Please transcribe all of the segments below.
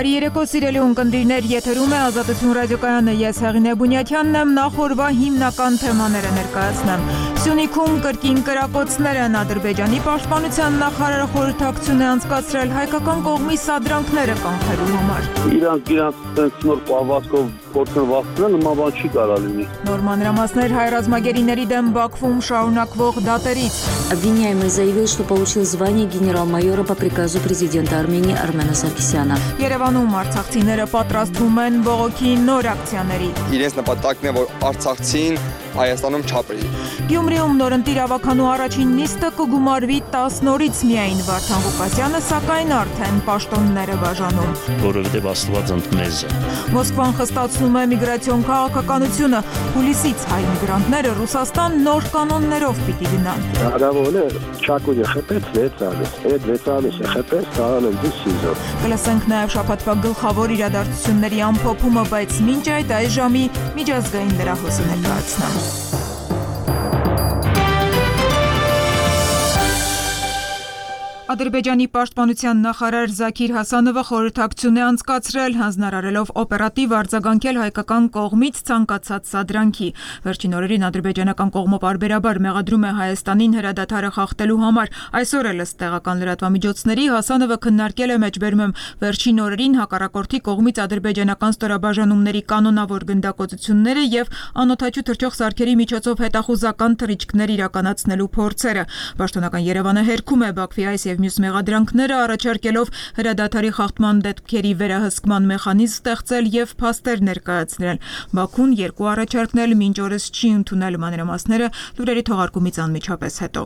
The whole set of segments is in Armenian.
Բարի երեկո սիրելի ունկնդիրներ, եթերում է Ազատություն ռադիոկայանը, ես Հեղինե Բունյաթյանն եմ, նախ օրվա հիմնական թեմաները ներկայացնեմ։ Սյունիքում կրկին կրակոցներ են, Ադրբեջանի պաշտպանության նախարարը խորհրդակցություն է անցկացրել հայկական կողմի սադրանքները կանխելու համար։ Իրանց նոր պահվածքով փորձեն վախցնել, նման բան չի կարա լինի։ Նոր մանրամասներ հայ ռազմագերիների դեմ Բաքվում շարունակվող դատերից։ Обвиняемый заявил, что получил звание генерал-майора по приказу президента Армении Армена Սարգսյանը։ Երևանում արցախցիները պատրաստվում են բողոքի նոր ակցիաների։ Իրենց նպատակն է, որ արցախցին Հայաստանում չապրի։ Գյումրիում նորընտիր ավականու առաջին նիստը կգումարվի 10 նորից միայն, Վարդան Ղուկասյանը սակայն արդեն պաշտոններ է բաժանում։ Որովհետև Աստված ընդմեզ է։ Մոսկվան խստացնում է միգրացիոն քաղաքականությունը, հուլիսից հայ միգրանտները Ռուսաստան նոր կանոններով պիտի գնան։ Հնարավոր է Չակուդի խփեց 6 ամիս, այդ 6 ամիսը խփեց տանում դիսիզո։ Կլսենք նաև շաբաթվա գլխավոր իրադարձությունների ամփոփումը, բայց մինչ այդ այս ժամի միջազգային լրահոսը ներկայացնեմ։ Ադրբեջանի պաշտպանության նախարար Զաքիր Հասանովը խորհրդակցություն է անցկացրել, հանձնարարելով օպերատիվ արձագանքել հայկական կողմից ցանկացած սադրանքի։ Վերջին օրերին ադրբեջանական կողմը պարբերաբար մեղադրում է Հայաստանին հրադադարը խախտելու համար։ Այսօր էլ ըստ տեղական լրատվամիջոցների Հասանովը քննարկել է մեջբերում վերջին օրերին հակառակորդի կողմից ադրբեջանական ստորաբաժանումների կանոնավոր գնդակոծությունները եւ անօդաչու թռչող սարքերի միջոցով հետախուզական թռիչքներ իրականացնելու փորձերը։ Պաշտոնական Երևանը հերքում է Բաքվի այս եւ մյուս մեղադրանքները, առաջարկելով հրադադարի խախտման դեպքերի վերահսկման մեխանիզմ ստեղծել եւ փաստեր ներկայացնել։ Բաքուն երկու առաջարկնել մինչ օրս չի ընդունել, մանրամասները լուրերի թողարկումից անմիջապես հետո։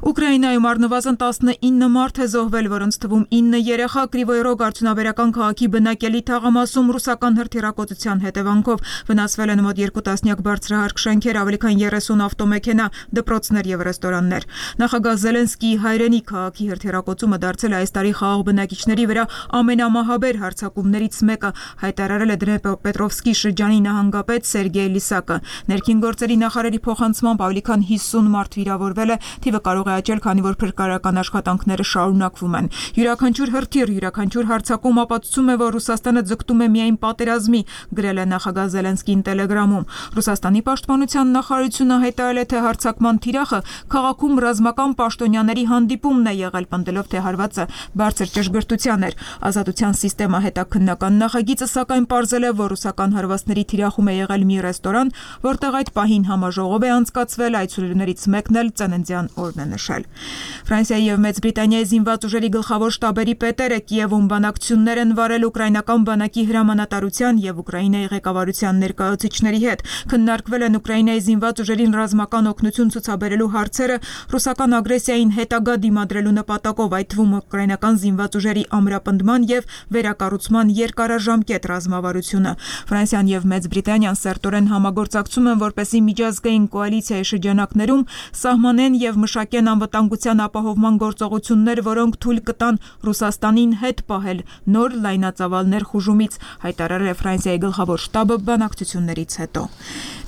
Ուկրաինայում առնվազն 19 մարդ է զոհվել, որոնց թվում 9 երեխա Կրիվոյ Ռոգ արդյունաբերական քաղաքի բնակելի թաղամասում ռուսական հրթիռակոծության հետևանքով վնասվել են մոտ 2 տասնյակ բարձրահարկ շենքեր, ավելի քան 30 ավտոմեքենա, դպրոցներ եւ ռեստորաններ։ Նախագահ Զելենսկիի հայրենի քաղաքի հրթիռակոծումը դարձել է այս տարի խաղաղ բնակիչների վրա ամենամահաբեր հարձակումներից մեկը, հայտարարել է Դնեպրոպետրովսկի շրջանի նահանգապետ Սերգեյ Լիսակը։ Ներքին գործերի նախարարի փոխանցմամբ ավելի քան 50 մարդ վիրավորվել է, թիվը կարող է աճել, քանի որ փրկարարական աշխատանքները շարունակվում են։ Յուրաքանչյուր հրթիռ, յուրաքանչյուր հարձակում ապացուցում է, որ Ռուսաստանը ձգտում է միայն պատերազմի, գրել է նախագահ Զելենսկին Տելեգրամում։ Ռուսաստանի պաշտպանության նախարարությունը հայտարարել է, թե հարձակման թիրախը քաղաքում ռազմական պաշտոնյաների հանդիպումն է եղել, պնդելով, թե հարվածը բարձր ճշգրտության էր։ Ազատության սիստեմա հետաքննական նախագիծը սակայն պարզել է, որ ռուսական հարվածների թիրախում է եղել մի ռեստորան, որտեղ այդ պահին համաժողով է անցկացվել, այցելուներից մեկն էլ ծննդյան օրն է նշել։ Ֆրանսիայի եւ Մեծ Բրիտանիայի զինված ուժերի գլխավոր շտաբերի պետերը Կիևում բանակցություններ են վարել ուկրաինական բանակի հրամանատարության եւ Ուկրաինայի ղեկավարության ներկայացուցիչների հետ։ Քննարկվել են Ուկրաինայի զինված ուժերին ռազմական օգնություն ցուցաբերելու հարցերը, ռուսական ագրեսիային հետագա դիմադրելու նպատակով, այդ թվում ուկրաինական զինված ուժերի ամրապնդման եւ վերակառուցման երկարաժամկետ ռազմավարությունը։ Ֆրանսիան եւ Մեծ Բրիտանիան սերտորեն համագործակցում են, որպեսզի միջազգային կոալիցիայի շրջանակներում սահմանեն եւ մշակեն անվտանգության ապահովման գործողություններ, որոնք թույլ կտան Ռուսաստանին հետ պահել նոր լայնածավալ ներխուժումից, հայտարարել է Ֆրանսիայի գլխավոր շտաբը բանակցություններից հետո։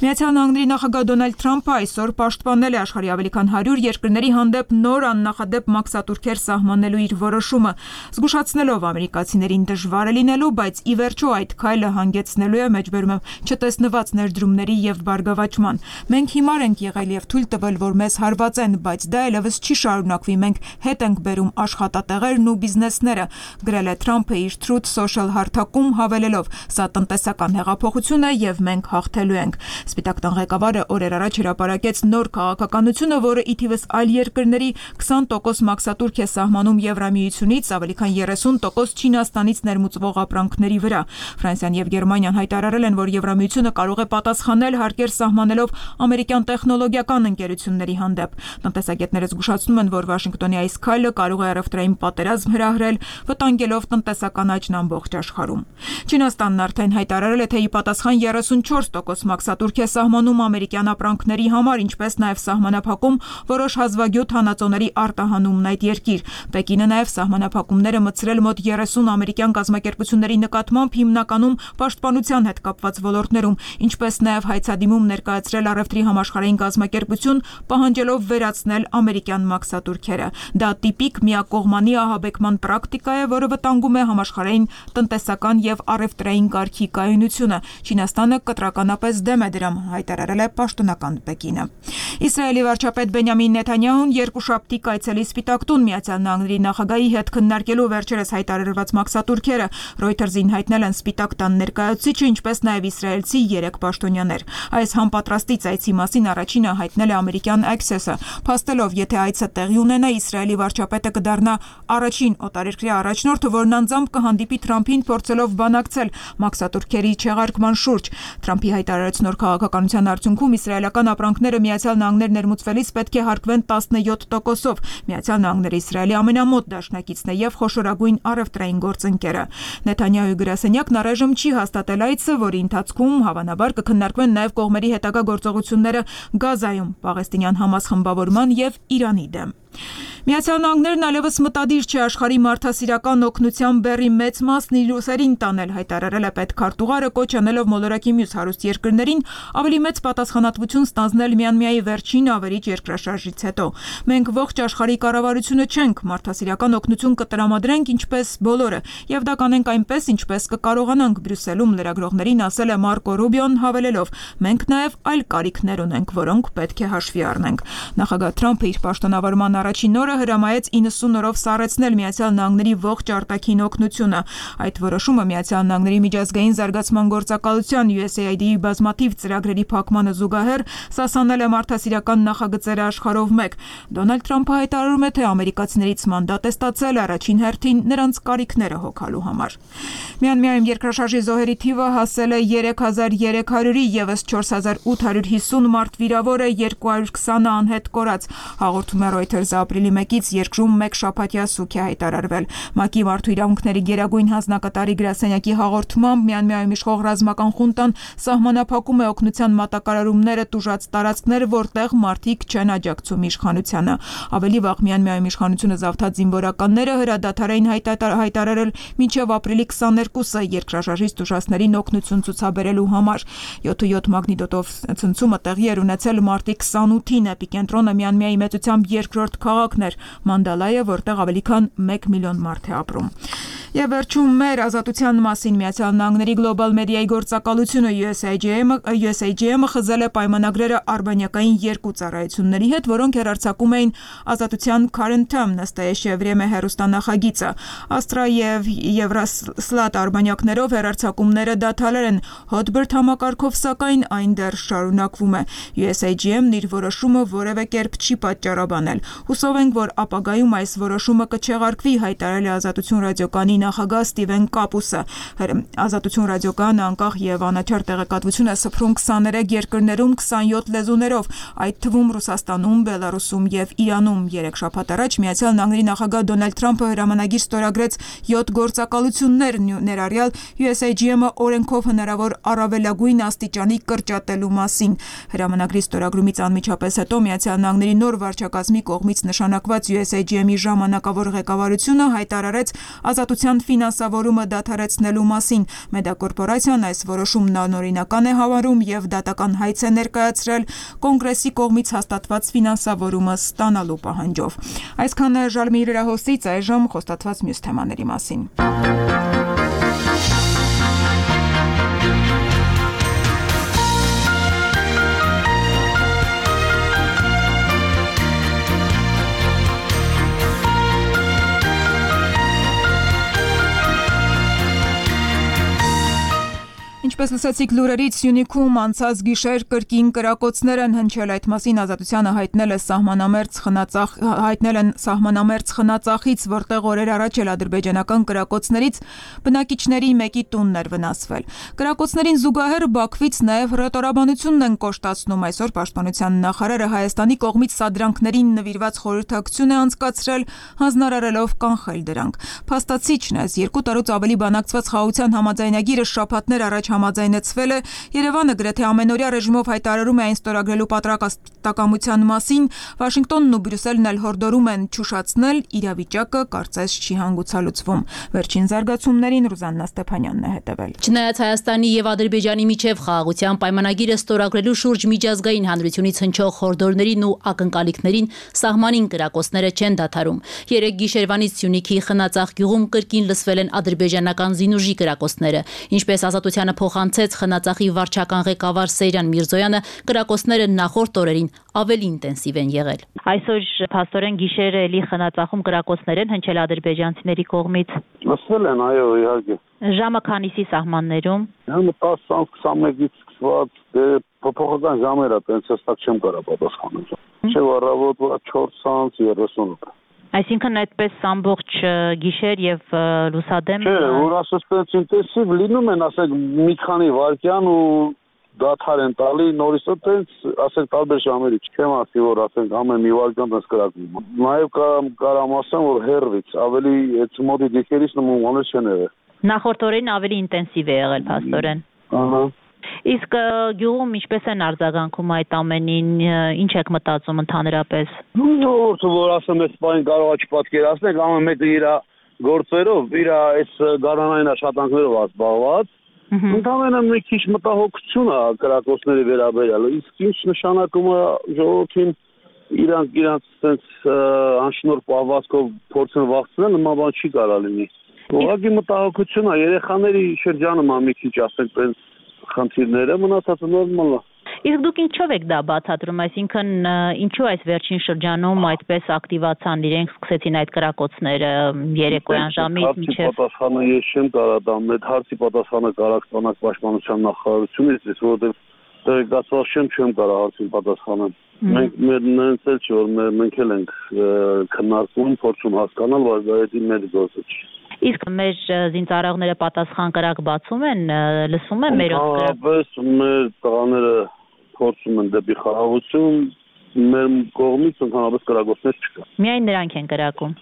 Միացյալ Նահանգների նախագահ Դոնալդ Թրամփը այսօր պաշտպանել է աշխարհի ավելի քան 100 երկրների հանդեպ նոր աննախադեպ մաքսատուրքեր սահմանելու իր որոշումը, զգուշացնելով ամերիկացիներին դժվար է լինելու, բայց ի վերջո այդ քայլը հանգեցնելու է մեջբերում չտեսնված ներդրումների եւ բարգավաճման։ Մենք հիմար ենք եղել եւ թույլ տվել, որ մեզ հարվածեն, բայց դա այլևս չի շարունակվի, մենք հետ ենք բերում աշխատատեղերն ու բիզնեսները, գրել է Թրամփը իր Truth Social հարթակում, հավելելով. «Սա տնտեսական հեղափոխություն է եւ մենք հաղթելու ենք»։ Սպիտակ տան ղեկավարը օրեր առաջ հրապարակեց նոր քաղաքականությունը, որը ի թիվս այլ երկրների 20% մաքսատուրք է սահմանում Եվրամիությունից, ավելի քան 30% Չինաստանից ներմուծվող ապրանքների վրա։ Ֆրանսիան եւ Գերմանիան հայտարարել են, որ Եվրամիությունը կարող է պատասխանել հարկեր սահմանելով ամերիկյան տեխնոլոգիական ընկերությունների հանդեպ։ Տնտեսագետները զգուշացնում են, որ Վաշինգտոնի այս քայլը կարող է առևտրային պատերազմ հրահրել, վտանգելով տնտեսական աճն ամբողջ աշխարհում։ Չինաստանն արդեն հայտարարել է, թե ի պատասխան 34% մաքսատուրք է սահմանում ամերիկյան ապրանքների համար, ինչպես նաև սահմանափակում որոշ հազվագյուտ հանածոների արտահանումն այդ երկիր։ երկիր։ Պեկինը նաև սահմանափակումները մտցրել մոտ 30 ամերիկյան կազմակերպությունների նկատմամբ, հիմնականում պաշտպանության հետ կապված ոլորտներում, ինչպես նաև հայցադիմում ներկայացրել առևտրի համաշխարհային կազմակերպություն, պահանջելով վերացնել ամերիկյան մաքսատուրքերը։ Դա տիպիկ միակողմանի ահաբեկման պրակտիկա է, որը վտանգում է համաշխարհային տնտեսական եւ առևտրային կարգի կայունությունը։ Չինաստանը կտրականապես դեմ է դրան, հայտարարել է պաշտոնական Պեկինը։ Իսրայելի վարչապետ Բենյամին Նեթանյահուն երկուշաբթի կայցելի Սպիտակ տուն ԱՄՆ նախագահի հետ քննարկելու վերջերս հայտարարված մաքսատուրքերը։ Reuters-ին հայտնել են Սպիտակ տան ներկայացուցիչը, ինչպես նաև իսրայելցի 3 պաշտոնյաներ։ Այս համապատրաստի այցի մասին առաջինը հայտնել է ամերիկյան Access-ը, փաստելով, եթե այցը տեղի ունենա, Իսրայելի վարչապետը կդառնա առաջին օտարերկրյա առաջնորդը, որն անձամբ կհանդիպի Թրամփին, փորձելով բանակցել մաքսատուրքերի չեղարկման շուրջ։ Թրամփի հայտարարած նոր քաղաքականության արդյունքում իսրայելական ապրանքները ԱՄՆ ներմուծվելիս պետք է հարկվեն 17%-ով։ ԱՄՆ-ը Իսրայելի ամենամոտ դաշնակիցն է եւ խոշորագույն առևտրային գործընկերը։ Նեթանյահուի գրասենյակն առայժմ չի հաստատել այցը, որի ընթացքում հավանաբար կքննարկվեն նաև կողմերի հետագա գործողությունները Գազայում, Պաղեստինյան Համաս խմբավորման եւ Իրանի դեմ։ ԱՄՆ-ն այլևս մտադիր չէ աշխարհի մարդասիրական օգնության բեռի մեծ մասն իր ուսերին տանել, հայտարարել է պետքարտուղարը, կոչ անելով մոլորակի մյուս հարուստ երկրներին ավելի մեծ պատասխանատվություն ստանձնել Մյանմայի վերջին ավերիչ երկրաշարժից հետո։ Մենք ողջ աշխարհի կառավարությունը չենք, մարդասիրական օգնություն կտրամադրենք ինչպես բոլորը, եւ դա կանենք այնպես, ինչպես կկարողանանք, Բրյուսելում լրագրողներին ասել է Մարկո Ռուբիոն, հավելելով. մենք նաև այլ կարիքներ ունենք, որոնք պետք է հաշվի առնենք։ Նախագահ Թրամփը իր պաշտոնավարման առաջին օրը հրամայեց 90 օրով սառեցնել ԱՄՆ ողջ արտաքին օգնությունը։ Այդ որոշումը ԱՄՆ միջազգային զարգացման գործակալության USAID-ի բազմաթիվ ծրագրերի փակմանը զուգահեռ սասանել է մարդասիրական նախագծերը աշխարհով մեկ։ Դոնալդ Թրամփը հայտարարում է, թե ամերիկացիներից մանդատ է ստացել առաջին հերթին նրանց կարիքները հոգալու համար։ Մյանմարում երկրաշարժի զոհերի թիվը հասել է 3300-ի, եւս 4850 մարդ վիրավոր է, 220-ը անհետ կորած։ Հաղորդում է Reuters-ը ապրիլի 1-ից երկրում մեկ շաբաթյա սուգ է հայտարարվել։ ՄԱԿ-ի մարդու իրավունքների գերագույն հանձնակատարի գրասենյակի հաղորդմամբ Մյանմարում իշխող ռազմական խունտան սահմանափակում է օգնության մատակարարումները տուժած տարածքներ, որտեղ մարդիկ չեն աջակցում իշխանությանը։ Ավելի վաղ Մյանմարում իշխանությունը զավթած զինվորականները հրադադար էին հայտարարել մինչև ապրիլի 22-ը երկրաշարժից տուժածներին օգնություն ցուցաբերելու համար։ 7.7 մագնիտոդով ցնցումը տեղի էր ունեցել մարտի 28-ին, էպիկենտրոնը Մյանմարի մեծությամբ երկրորդ քաղաքն էր Մանդալայը, որտեղ ավելի քան 1 միլիոն մարդ է ապրում։ Եվ վերջում մեր ազատության մասին ԱՄՆ գլոբալ մեդիայի գործակալությունը USAGM-ը խզել է պայմանագրերը արբանյակային երկու ծառայությունների հետ, որոնք հեռարձակում էին ազատության Current Term նստաեշե վրեմե հեռուստանախագիծը։ Astra եւ Evroslat արբանյակներով հեռարձակումները դադարել են, Hotbird համակարգով սակայն այն դեռ շարունակվում է։ USAGM-ն իր որոշումը որևէ կերպ չի պատճառաբանել։ Հուսով ենք, որ ապագայում այս որոշումը կչեղարկվի, հայտարարել է Ազատություն ռադիոկայանի նախագահ Ստիվեն Կապուսը։ Ազատություն ռադիոկայանը անկախ եւ անաչառ տեղեկատվություն է սփռում 23 երկրներում 27 լեզուներով, այդ թվում Ռուսաստանում, Բելարուսում եւ Իրանում։ 3 շաբաթ առաջ ԱՄՆ նախագահ Դոնալդ Թրամփը հրամանագիր ստորագրեց 7 գործակալություններ, ներառյալ USAGM-ը օրենքով հնարավոր առավելագույն աստիճանի կրճատելու մասին։ Հրամանագրի ստորագրումից անմիջապես հետո ԱՄՆ նոր վարչակազմի կողմից նշանակված USAGM-ի ժամանակավոր ղեկավարությունը հայտարարեց ազատության ֆինանսավորումը դադարեցնելու մասին։ Մեդիակորպորացիան այս որոշումն անօրինական է համարում եւ դատական հայց է ներկայացրել կոնգրեսի կողմից հաստատված ֆինանսավորումը ստանալու պահանջով։ Այսքանը Ժալմի հրահոսից, այժմ խոստացված մյուս թեմաների մասին։ Ինչպես լսեցիք լուրերից, Սյունիքում անցած գիշեր կրկին կրակոցներ են հնչել, այդ մասին Ազատությանը հայտնել են սահմանամերձ խնածախից, որտեղ օրեր առաջ էլ ադրբեջանական կրակոցներից բնակիչների մեկի տունն էր վնասվել։ Կրակոցներին զուգահեռ Բաքվից նաև հռետորաբանությունն են կոշտացնում։ Այսօր Պաշտպանության նախարարը Հայաստանի կողմից սադրանքներին նվիրված խորհրդակցություն է անցկացրել, հանձնարարելով կանխել դրանք։ Փաստացիչն այս 2 տարուց ավելի բանակցված խաղաղության համաձայնագիրը շաբաթներ առաջ համաձայնեցվել է, Երևանը գրեթե ամենօրյա ռեժիմով հայտարարում է այն ստորագրելու պատրաստակամության մասին, Վաշինգտոնն ու Բրյուսելն էլ հորդորում են չուշացնել, իրավիճակը կարծես չի հանգուցալուծվում։ Վերջին զարգացումներին Ռուզաննա Ստեփանյանն է հետևել։ Չնայած Հայաստանի եւ Ադրբեջանի միջև խաղաղության պայմանագիրը ստորագրելու շուրջ միջազգային հանրությունից հնչող հորդորներին ու ակնկալիքներին, սահմանին կրակոցները չեն դադարում։ Երեք գիշերվանից Սյունիքի Խնածախ գյուղում կրկին լսվել են ադրբեջանական զինուժի կրակոցները։ Ինչպես Ազատությանը փոխանցեց Խնածախի վարչական ղեկավար Սեյրան Միրզոյանը, կրակոցները նախորդ օրերին ավելի ինտենսիվ են եղել։ Այսօր փաստորեն գիշերը էլի Խնածախում կրակոցներ են հնչել ադրբեջանցիների կողմից։ Լսվել են, այո, իհարկե։ Ժամը քանիսի սահմաններում։ Ժամը 10:21-ից սկսված, փոփոխական ժամեր է, տենց հստակ չեմ կարող պատասխանել։ Չէ, առավոտվա 4:38։ Այսինքն այդպես ամբողջ գիշեր եւ լուսադեմ։ Չէ, որ ասես տենց ինտենսիվ լինում են, ասեք մի քանի վայրկյան ու դադար են տալի, նորից տենց, ասենք տարբեր ժամերի, չեմ ասի, որ ասենք ամեն մի վայրկյան տենց կրակվում։ Նաեւ կարամ ասեմ, որ հերվից ավելի այդ մոտի դիքերից նմաններ չեն եղել։ Նախորդ օրերին ավելի ինտենսիվ է եղել փաստորեն։ Ահա։ Իսկ գյուղում ինչպես են արձագանքում այդ ամենին, ինչ եք մտածում ընդհանրապես։ Որ ասեմ, այս բանը կարող է չպատկերացնել, ամեն մեկը իր գործերով, իր այս գարանային աշխատանքներով ազբաղված։ Ընդհանրապես մի քիչ մտահոգություն է կրակոցների վերաբերյալ, իսկ ինչ նշանակում է ժողովրդին իրանց sense անշնորհ պահվածքով փորձեն վախցնել, նման բան չի կարող լինի։ Ուղղակի մտահոգություն է, երեխաների շրջանում է մի քիչ ասենք տենց խնդիրները, մնացածը նորմալ է։ Իսկ դուք ինչով եք դա բացատրում, այսինքն ինչու այս վերջին շրջանում այդպես ակտիվացան իրենք, սկսեցին այդ կրակոցները երեկոյան ժամից մինչև։ Պատասխանը ես չեմ կարող տալ, այդ հարցի պատասխանը կարող ստանալ պաշտպանության նախարարությունից, որովհետև տեղեկացված չեմ կարող հարցին պատասխանել։ Մենք նենց էլ չէ, որ մենք էլ ենք քննարկում, փորձում հասկանալ, բայց դա էդի մեր գործը չի։ Իսկ մեր զինծառայողները պատասխան կրակ բացում են, լսում են մեր կրակ։ Մեր տղաները փորձում են դեպի խաղաղություն, մեր կողմից ընդհանրապես կրակոցներ չկա։ Միայն նրանք են կրակում։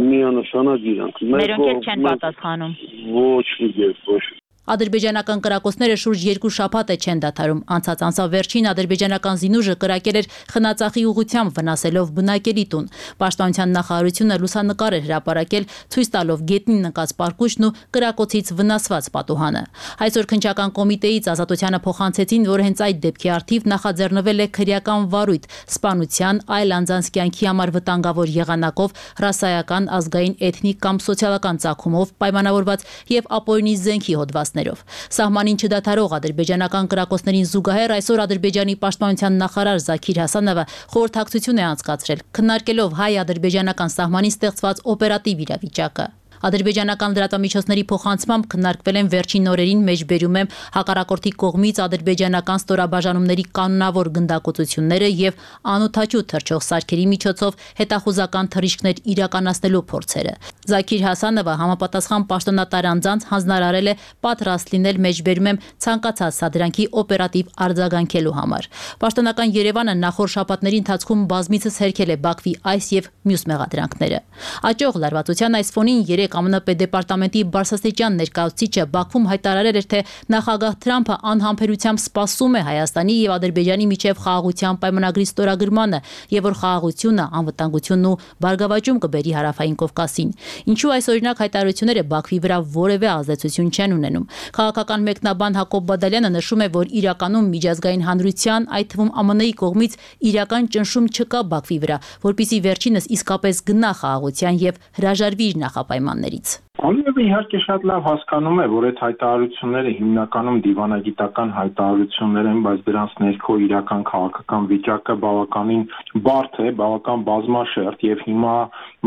Միանշանակ իրանք։ Մերոնք էլ չեն պատասխանում։ Ոչ մի կերպ, ոչ։ Ադրբեջանական կրակոցները շուրջ 2 շաբաթ է չեն դադարում։ Անցած ամսվերջին ադրբեջանական զինուժը կրակել էր Խնածախի ուղղությամբ, վնասելով բնակելի տուն։ Պաշտպանության նախարարությունը լուսանկար էր հրապարակել, ցույց տալով գետնին նկած պարկուճն ու կրակոցից վնասված պատուհանը։ Այսօր քննչական կոմիտեից Ազատությանը փոխանցեցին, որ հենց այդ դեպքի առթիվ նախաձեռնվել է քրեական վարույթ սպանության, այլ անձանց կյանքի համար վտանգավոր եղանակով, ռասայական, ազգային, էթնիկ կամ սոցիալական ծագումով պայմանավորված եւ ապօրինի զենքի հոդված։ Սահմանին չդադարող ադրբեջանական կրակոցներին զուգահեռ այսօր Ադրբեջանի պաշտպանության նախարար Զաքիր Հասանովը խորհրդակցություն է անցկացրել, քննարկելով հայ-ադրբեջանական սահմանին ստեղծված օպերատիվ իրավիճակը։ Ադրբեջանական լրատվամիջոցների փոխանցմամբ քննարկվել են վերջին օրերին մեջբերում եմ հակառակորդի կողմից ադրբեջանական ստորաբաժանումների կանոնավոր գնդակոծությունները եւ անօթաչու թռչող սարքերի միջոցով հետախուզական թռիչքներ իրականացնելու փորձերը։ Զաքիր Հասանովը համապատասխան պաշտոնատար անձանց հանձնարարել է պատրաստ լինել մեջբերում եմ ցանկացած սադրանքի օպերատիվ արձագանքելու համար։ Պաշտոնական Երևանը նախորդ շաբաթների ընթացքում բազմիցս հերքել է Բաքվի այս եւ մյուս մեղադրանքները։ Աճող լարվածության այս ֆոնին ԱՄՆ պետդեպարտամենտի բարձրաստիճան ներկայացուցիչը Բաքվում հայտարարել էր, թե նախագահ Թրամփը անհամբերությամբ սպասում է Հայաստանի եւ Ադրբեջանի միջև խաղաղության պայմանագրի ստորագրմանը եւ որ խաղաղությունը, անվտանգությունն ու բարգավաճում կբերի Հարավային Կովկասին։ Ինչու այս օրինակ հայտարարությունները Բաքվի վրա որևէ ազդեցություն չեն ունենում։ Քաղաքական մեկնաբան Հակոբ Բադալյանը նշում է, որ իրականում միջազգային հանրության, այդ թվում ԱՄՆ-ի կողմից իրական ճնշում չկա Բաքվի վրա, որպեսզի վերջինս իսկապես գնա խաղաղության եւ հրաժարվի իր նախապայմաններից։ Ալիևը իհարկե շատ լավ հասկանում է, որ այդ հայտարարությունները հիմնականում դիվանագիտական հայտարարություններ են, բայց դրանց ներքո իրական քաղաքական վիճակը բավականին բարդ է, բավական բազմաշերտ եւ հիմա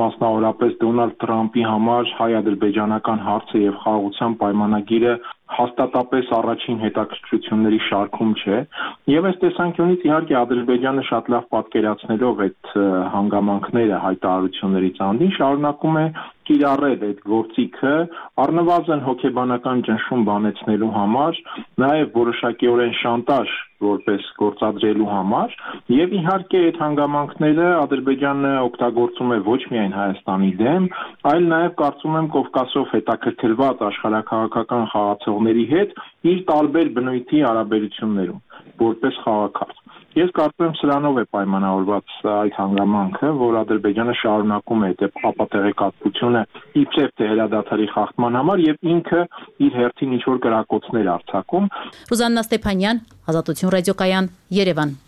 մասնավորապես Դոնալդ Թրամփի համար հայ-ադրբեջանական հարցը եւ խաղաղության պայմանագիրը հաստատապես առաջին հետաքրքրությունների շարքում չէ եւ այս տեսանկյունից իհարկե Ադրբեջանը շատ լավ պատկերացնելով այդ հանգամանքները հայտարարություններից անդին շարունակում է կիրառել այդ գործիքը առնվազն հոգեբանական ճնշում բանեցնելու համար, նաեւ որոշակիորեն շանտաժ որպես գործադրելու համար եւ իհարկե այդ հանգամանքները Ադրբեջանը օգտագործում է ոչ միայն Հայաստանի դեմ, այլ նաեւ կարծում եմ Կովկասով հետաքրքրված աշխարհաքաղաքական խաղացողների հետ իր տարբեր բնույթի հարաբերություններում որպես խաղաքարտ։ Ես կարծում եմ սրանով է պայմանավորված այդ հանգամանքը, որ Ադրբեջանը շարունակում է այդ ապատեղեկատվությունը իբրև թե հրադադարի խախտման համար եւ ինքը իր հերթին ինչ-որ կրակոցներ արձակում։ Ռուզաննա Ստեփանյան, Ազատություն ռադիոկայան, Երևան։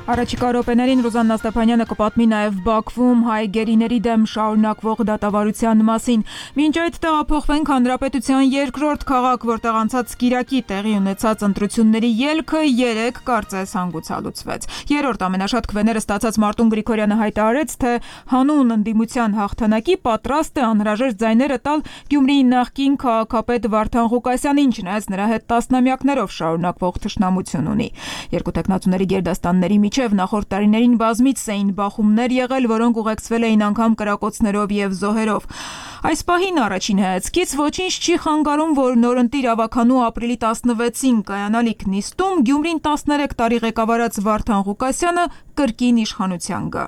Առաջիկա րոպեներին Ռուզաննա Ստեփանյանը կպատմի նաև Բաքվում հայ գերիների դեմ շարունակվող դատավարության մասին։ Մինչ այդ տեղափոխվենք Հանրապետության երկրորդ քաղաք, որտեղ անցած կիրակի տեղի ունեցած ընտրությունների ելքը 3 կարծես հանգուցալուծվեց։ Երրորդ ամենաշատ քվեները ստացած Մարտուն Գրիգորյանը հայտարարեց, թե հանուն ընդդիմության հաղթանակի պատրաստ է անհրաժեշտ ձայները տալ Գյումրիի նախկին քաղաքապետ Վարդան Ղուկասյանին, չնայած նրա հետ տասնամյակներով շարունակվող թշնամություն ունի։ Երկու տեխնացուների գերդաստանների միջև նախորդ տարիներին բազմից էին բախումներ եղել, որոնք ուղեկցվել էին անգամ կրակոցներով եւ զոհերով։ Այս պահին առաջին հայացքից ոչինչ չի խանգարում, որ նորընտիր ավականու ապրիլի 16-ին կայանալիք նիստում Գյումրին 13 տարի ղեկավարած Վարդան Ղուկասյանը կրկին իշխանության գա։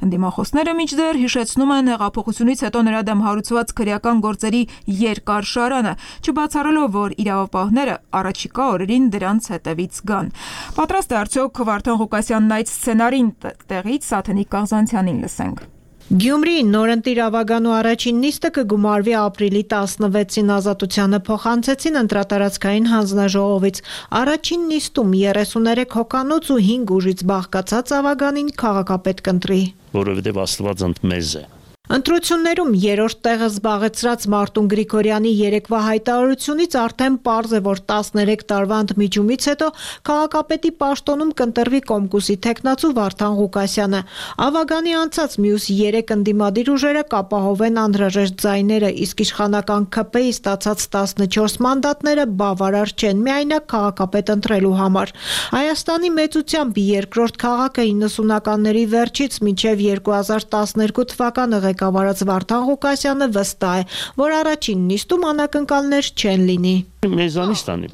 Ընդդիմախոսները մինչդեռ հիշեցնում են հեղափոխությունից հետո նրա դեմ հարուցված քրեական գործերի երկար շարանը, չբացառելով, որ իրավապահները առաջիկա օրերին դրանց հետևից գան։ Պատրաստ է արդյոք Վարդան Ղուկասյանն այդ սցենարին տեղից Սաթենիկ Կաղզանցյանին լսենք։ Գյումրիի նորընտիր ավագանու առաջին նիստը կգումարվի ապրիլի 16-ին Ազատությանը փոխանցեցին ընտրատարածքային հանձնաժողովից։ Առաջին նիստում 33 հոգանոց ու 5 ուժից բաղկացած ավագանին քաղաքապետ կընտրի։ Որովհետև Աստված ընդմեզ է։ Ընտրություններում երրորդ տեղը զբաղեցրած Մարտուն Գրիգորյանի երեկվա հայտարարությունից արդեն պարզ է, որ 13 տարվա ընդմիջումից հետո քաղաքապետի պաշտոնում կընտրվի Կոմկուսի թեկնածու Վարդան Ղուկասյանը։ Ավագանի անցած մյուս 3 ընդդիմադիր ուժերը կապահովեն անհրաժեշտ ձայները, իսկ իշխանական ՔՊ-ի ստացած 14 մանդատները բավարար չեն միայնակ քաղաքապետ ընտրելու համար։ Հայաստանի մեծությամբ երկրորդ քաղաքը 90-ականների վերջից մինչև 2012 թվականը ղեկավարած Վարդան Ղուկասյանը վստահ է, որ առաջին նիստում անակնկալներ չեն լինի։ Մեզանից տանի։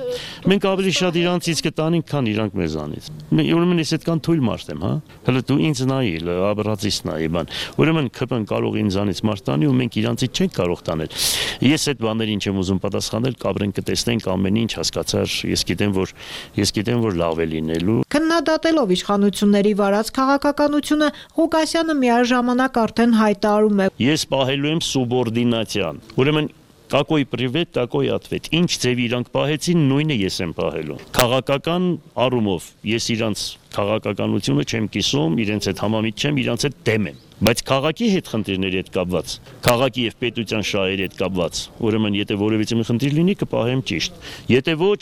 Մենք ավելի շատ իրանցից կտանենք, քան իրանք մեզանից։ Ուրեմն ես այդքան թույլ մարդ եմ, հա։ Հələ դու ինձ նայի, աբրացից նայի, բան։ Ուրեմն ՔՊ-ն կարող ինձանից մարդ տանի ու մենք իրանցից չենք կարող տանել։ Ես այդ բաներին չեմ ուզում պատասխանել, կաբրենք կտեսնենք ամեն ինչ, հասկացար, ես գիտեմ, որ լավ է լինելու։ Քննադատելով իշխանությունների վարած քաղաքականությունը, Ղուկասյանը միաժամանակ արդեն հայտարարում է. Ես պահելու եմ սուբորդինացիան։ Ուրեմն Какой привет, такой ответ։ Ինչ ձևի իրանք պահեցին, նույնը ես եմ պահելու։ Քաղաքական առումով ես իրանց քաղաքականությունը չեմ կիսում, իրենց հետ համամիտ չեմ, իրանց հետ դեմ եմ։ Բայց քաղաքի հետ խնդիրների հետ կապված, քաղաքի եւ պետության շահերի հետ կապված, ուրեմն եթե որևիցե մի խնդիր լինի, կպահեմ ճիշտ։ Եթե ոչ,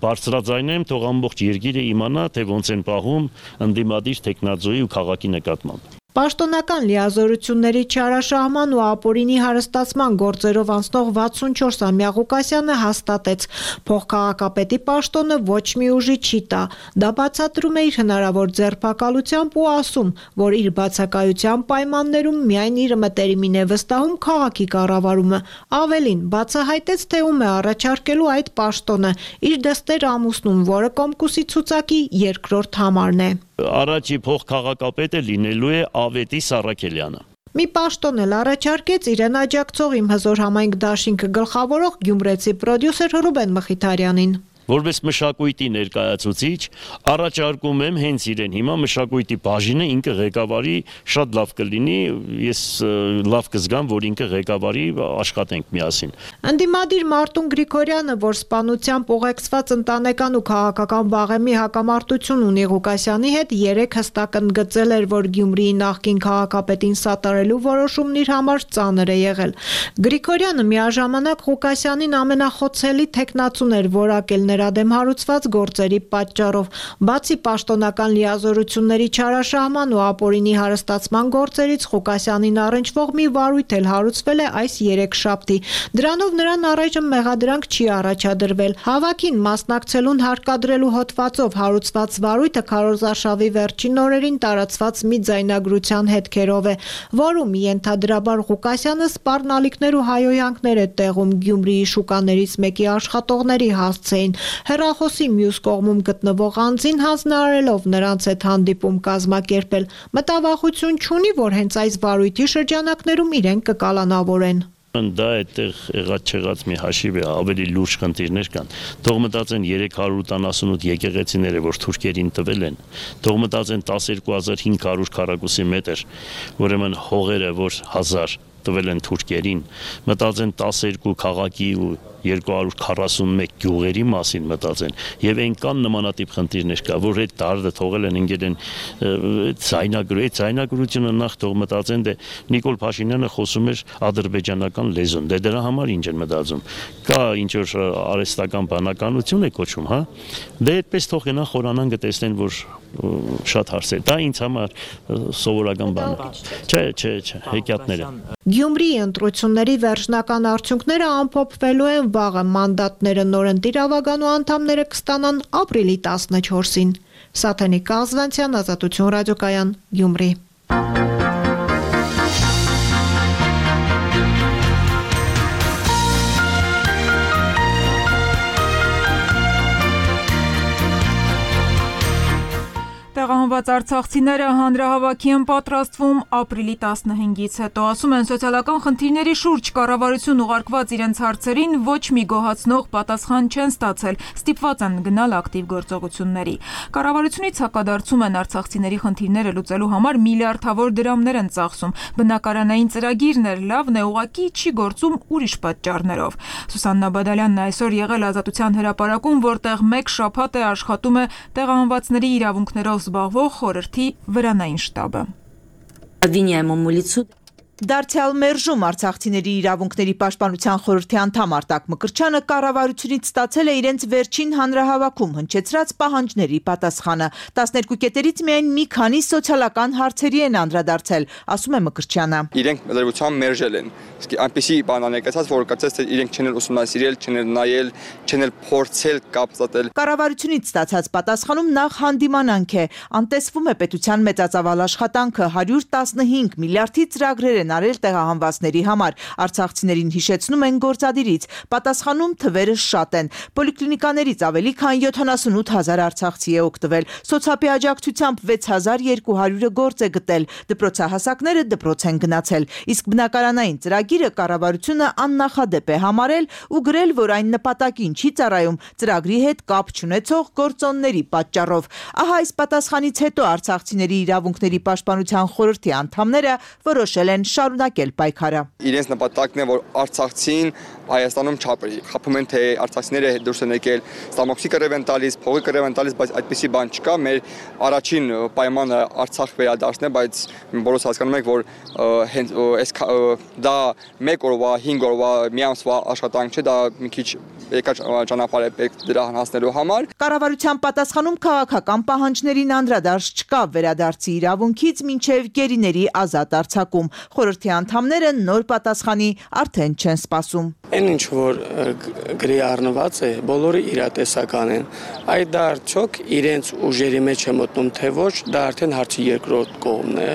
բարձրաձայնեմ, թող ամբողջ երկիրը իմանա, թե ոնց են պահում ընդդիմադիր տեխնազոյի ու քաղաքի նկատմամբ։ Պաշտոնական լիազորությունների չարաշահման ու ապօրինի հարստացման գործերով անցնող 64-ամյա Ղուկասյանը հաստատեց, փոխքաղաքապետի պաշտոնը ոչ մի ուժի չի տա։ Դա բացատրում է իր հնարավոր ձերբակալությամբ ու ասում, որ իր բացակայության պայմաններում միայն իր մտերիմին է վստահում քաղաքի կառավարումը։ Ավելին, բացահայտեց, թե ում է առաջարկելու այդ պաշտոնը, իր դստեր ամուսնուն, որը Կոմկուսի ցուցակի երկրորդ համարն է։ Առաջի փոխքաղաքապետը լինելու է Ավետիս Սարաքելյանը։ Մի պաշտոն էլ առաջարկեց իրեն աջակցող Իմ հզոր համայնք դաշինքը գլխավորող գյումրեցի պրոդյուսեր Ռուբեն Մխիթարյանին։ Որպես մշակույթի ներկայացուցիչ առաջարկում եմ հենց իրեն հիմա մշակույթի բաժինը ինքը ղեկավարի, շատ լավ կլինի, ես լավ կզգամ, որ ինքը ղեկավարի, աշխատենք միասին։ Ընդդիմադիր Մարտուն Գրիգորյանը, որ սպանությամբ ուղեկցված ընտանեկան ու քաղաքական վաղեմի հակամարտություն ունի Ղուկասյանի հետ, 3 հստակ ընդգծել էր, որ Գյումրիի նախկին քաղաքապետին սատարելու որոշումն իր համար ծանր է եղել։ Գրիգորյանը միաժամանակ Ղուկասյանին ամենախոցելի թեկնածուն էր որակել նրա դեմ հարուցված գործերի պատճառով։ Բացի պաշտոնական լիազորությունների չարաշահման ու ապօրինի հարստացման գործերից Ղուկասյանին առնչվող մի վարույթ էլ հարուցվել է այս երեքշաբթի։ Դրանով նրան առայժմ մեղադրանք չի առաջադրվել։ Հավաքին մասնակցելուն հարկադրելու հոդվածով հարուցված վարույթը քարոզարշավի վերջին օրերին տարածված մի ձայնագրության հետքերով է, որում ենթադրաբար Ղուկասյանը սպառնալիքներ ու հայոյանքներ է տեղում Գյումրիի շուկաներից մեկի աշխատողների հասցեին, հեռախոսի մյուս կողմում գտնվող անձին հանձնարարելով նրանց հետ հանդիպում կազմակերպել։ Մտավախություն չունի, որ հենց այս վարույթի շրջանակներում իրեն կկալանավորեն։ Դա այդտեղ եղած չեղած մի հաշիվ է, ավելի լուրջ խնդիրներ կան։ Թող մտածեն 388 եկեղեցիները, որ թուրքերին տվել են, թող մտածեն 12500 քառակուսի մետր, ուրեմն հողերը, որ 1000 տվել են թուրքերին, մտածեն 12 քաղաքի ու 241 գյուղերի մասին մտածեն, եւ այնքան նմանատիպ խնդիրներ կա, որ այդ դարդը թողել են ընկել են ձայնագրությունը նախ թող մտածեն, դե Նիկոլ Փաշինյանը խոսում էր ադրբեջանական լեզուն, դե դրա համար ինչ են մտածում, կա ինչ որ արհեստական բանականություն է կոչում, հա, դե այդպես թող գնան խորանան գտեսնեն, որ շատ հարցեր, դա ինձ համար սովորական բան է, չէ, հեքիաթները։ Գյումրիի ընտրությունների վերջնական արդյունքները ամփոփվելու են վաղը, մանդատները նորընտիր ավագանու անդամները կստանան ապրիլի 14-ին։ Սաթենիկ Կազվանցյան, Ազատություն ռադիոկայան, Գյումրի։ Տեղահանված արցախցիները հանրահավաքի են պատրաստվում ապրիլի 15-ից հետո, ասում են սոցիալական խնդիրների շուրջ կառավարություն ուղարկված իրենց հարցերին ոչ մի գոհացնող պատասխան չեն ստացել, ստիպված են գնալ ակտիվ գործողությունների։ Կառավարությունից հակադարձում են արցախցիների խնդիրները լուծելու համար միլիարդավոր դրամներ են ծախսում, բնակարանային ծրագիրն էլ լավն է, ուղղակի չի գործում ուրիշ պատճառներով։ Սուսաննա Բադալյանն այսօր եղել Ազատության հրապարակում, որտեղ մեկ շաբաթ է աշխատում է տեղահանվածների իրավունքներով զբաղվող խորհրդի վրանային շտաբը։ Обвиняемому лицу Դարձյալ մերժում արցախցիների իրավունքների պաշտպանության խորհրդի անդամ Արտակ Մկրտչյանը կառավարությունից ստացել է իրենց վերջին հանրահավաքում հնչեցրած պահանջների պատասխանը։ 12 կետերից միայն մի քանի սոցիալական հարցերի են անդրադարձել, ասում է Մկրտչյանը։ Իրենք լրիվությամբ մերժել են։ Իսկ այնպեսի բան անեկացած, որ կարծես թե իրենք չեն ուսումնասիրել, չեն նայել, չեն փորձել կապստատել։ Կառավարությունից ստացած պատասխանում նախ հանդիմանանք է։ Անտեսվում է պետության մեծածավալ աշխատանքը 115 միլիարդի ծրագրեր են արել տեղահանվածների համար։ Արցախցիներին հիշեցնում են գործադիրից։ Պատասխանում թվերը շատ են։ Պոլիկլինիկաներից ավելի քան 78000 արցախցի է օգտվել։ Սոցիալի աջակցությամբ 6200-ը գործ է գտել։ Դպրոցահասակները դպրոց են գնացել։ Իսկ բնակարանային ծրագիրը կառավարությունը աննախադեպ է համարել ու գրել, որ այն նպատակին չի ծառայում ծրագրի հետ կապ չունեցող գործոնների պատճառով։ Ահա այս պատասխանից հետո արցախցիների իրավունքների պաշտպանության խորհրդի անդամները որոշել են շարունակել պայքարը։ Իրենց նպատակն է, որ արցախցին Հայաստանում չապրի։ Խփում են, թե արցախցիները դուրս են եկել, ստամոքսի կռիվ են տալիս, փողի կռիվ են տալիս, բայց այդպեսի բան չկա։ Մեր առաջին պայմանը Արցախ վերադարձն է, բայց բոլորս հասկանում ենք, որ հենց դա 1 օրվա, 5 օրվա, մի ամսվա աշխատանք չէ, դա մի քիչ երկար ճանապարհ է պետք դրան հասնելու համար։ Կառավարության պատասխանում քաղաքական պահանջներին անդրադարձ չկա, վերադարձի իրավունքից մինչև գերիների ազատ արձակում։ Խորհրդի անդամները նոր պատասխանի արդեն չեն սպասում։ Այն ինչ որ գրի առնված է, բոլորը իրատեսական են։ Այդ դա արդյոք իրենց ուժերի մեջ է մտնում, թե ոչ, դա արդեն հարցի երկրորդ կողմն է։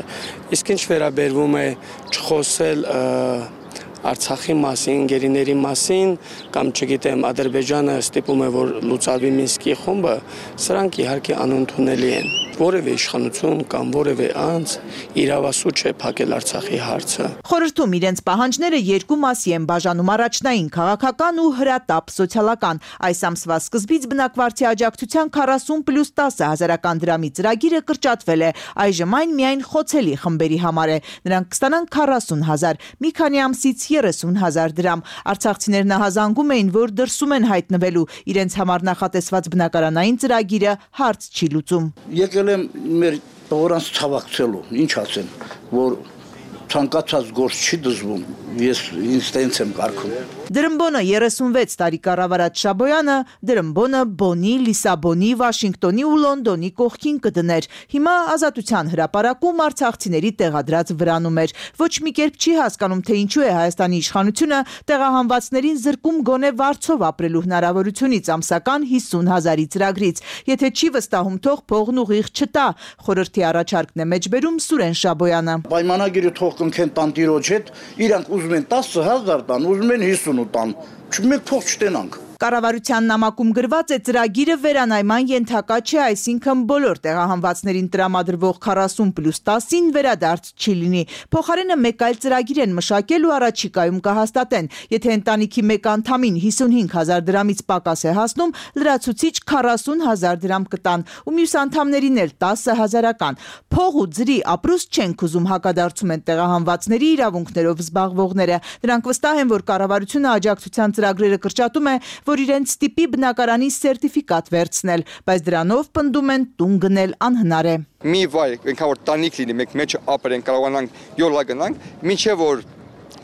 Իսկ ինչ վերաբերվում է չխոսել Արցախի մասին, գերիների մասին, կամ չգիտեմ, Ադրբեջանը ստիպում է, որ լուծարվի Մինսկի խումբը, սրանք իհարկե անընդունելի են։ Որևէ իշխանություն կամ որևէ անձ իրավասու չէ փակել Արցախի հարցը։ Խորհրդում իրենց պահանջները երկու մասի են բաժանում՝ առաջնային քաղաքական ու հրատապ սոցիալական։ Այս ամսվա սկզբից բնակվարդի աջակցության 40+10 հազարական դրամի ծրագիրը կրճատվել է։ Այժմ այն միայն խոցելի խմբերի համար է։ Նրանք կստանան 40,000, մի քանի ամսից 30,000 դրամ։ Արցախցիներն ահազանգում էին, որ դրսում են հայտնվելու, իրենց համար նախատեսված բնակարանային ծրագիրը հարց չի լուծում։ Եկել եմ մեր տղորանց ցավակցելու, ինչ ասեմ, որ ցանկացած գործ չի դժվում, ես ինձ տենց եմ կարգում։ Դրմբոնը 36 տարի կառավարած Շաբոյանը դրմբոնը Բոնի, Լիսաբոնի, Վաշինգտոնի ու Լոնդոնի կողքին կդներ։ Հիմա Ազատության հրապարակում արցախցիների տեղադրած վրանում էր։ Ոչ մի կերպ չի հասկանում, թե ինչու է Հայաստանի իշխանությունը տեղահանվածներին զրկում գոնե վարձով ապրելու հնարավորությունից ամսական 50,000-ի ծրագրից։ Եթե չի վստահում, թող փողն ուղիղ չտա, խորհրդի առաջարկն է մեջբերում Սուրեն Շաբոյանը։ Պայմանագիրը թող կնքեն տանտիրոջ հետ, իրանք ուզում են 10,000 տան, ուզում են 50 տան, մենք փող չտենանք։ Կառավարության նամակում գրված է ծրագիրը վերանայման ենթակա չէ, այսինքն բոլոր տեղահանվածներին տրամադրվող 40+10-ին վերադարձ չի լինի։ Փոխարենը մեկ այլ ծրագիր են մշակել ու առաջիկայում կհաստատեն։ Եթե ընտանիքի մեկ անդամին 55,000 դրամից պակաս է հասնում, լրացուցիչ 40,000 դրամ կտան ու մյուս անդամներին էլ 10,000-ական։ Փող ու ձրի ապրուստ չենք ուզում, հակադարձում են տեղահանվածների իրավունքներով զբաղվողները։ Նրանք վստահ են, որ կառավարությունը աջակցության ծրագրերը կրճատում է, որ իրենց տիպի բնակարանի սերտիֆիկատ վերցնել, բայց դրանով պնդում են տուն գնել անհնար է։ Մի վայր, ինքան որ տանիք լինի, մենք մեջը ապրենք, կարողանանք յոլա գնանք, մինչև որ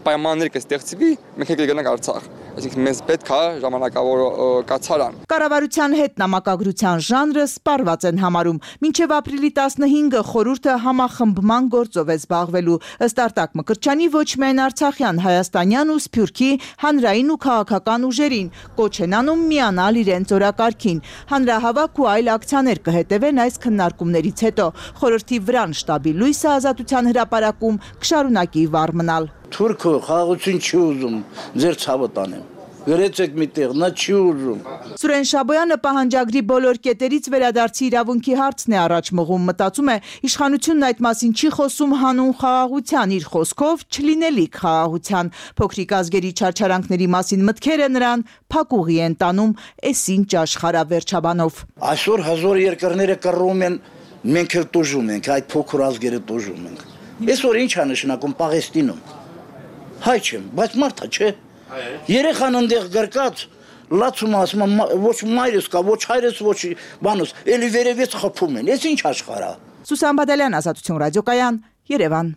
պայմաններ կստեղծվի, մենք կգնանք Արցախ։ Այսինքն մեզ պետք է ժամանակավոր կացարան։ Կառավարության հետ նամակագրության ժանրը սպառված են համարում։ Մինչև ապրիլի 15-ը խորհուրդը համախմբման գործով է զբաղվելու։ Ըստ Արտակ Մկրտչյանի ոչ միայն արցախյան, հայաստանյան ու սփյուռքի հանրային ու քաղաքական ուժերին կոչ են անում միանալ իրենց օրակարգին։ Հանրահավաք ու այլ ակցիաներ կհետևեն այս քննարկումներից հետո։ Խորհրդի վրան շտաբի լույսը Ազատության հրապարակում կշարունակի վառ մնալ։ Թուրքը խաղաղություն չի ուզում, ձեր ցավը տանեմ։ Գրեցեք միտեղ, նա չի ուզում։ Սուրեն Շաբոյանը պահանջագրի բոլոր կետերից վերադարձի իրավունքի հարցն է առաջ մղում, մտածում է, իշխանությունն այդ մասին չի խոսում հանուն խաղաղության, իր խոսքով չլինելիք խաղաղության։ Փոքրիկ ազգերի չարչարանքների մասին մտքերը նրան փակուղի են տանում, էս ինչ աշխարհավերջաբանով։ Այսօր հազար երկրները կռում են, մենք էլ տուժում ենք, այդ փոքր ազգերը տուժում ենք։ Այսօր ինչ է նշանակում Պաղեստինում։ Հայ չեմ, բայց մարդա չէ։ Երեխան ընդեղ գրկած լացում ասում ոչ մայրս կա, ոչ հայրս, ոչ բանոս, էլի վերևից խփում են։ Էս ինչ աշխարհ է։ Սուսան Բադալյան, Ազատություն ռադիոկայան, Երևան։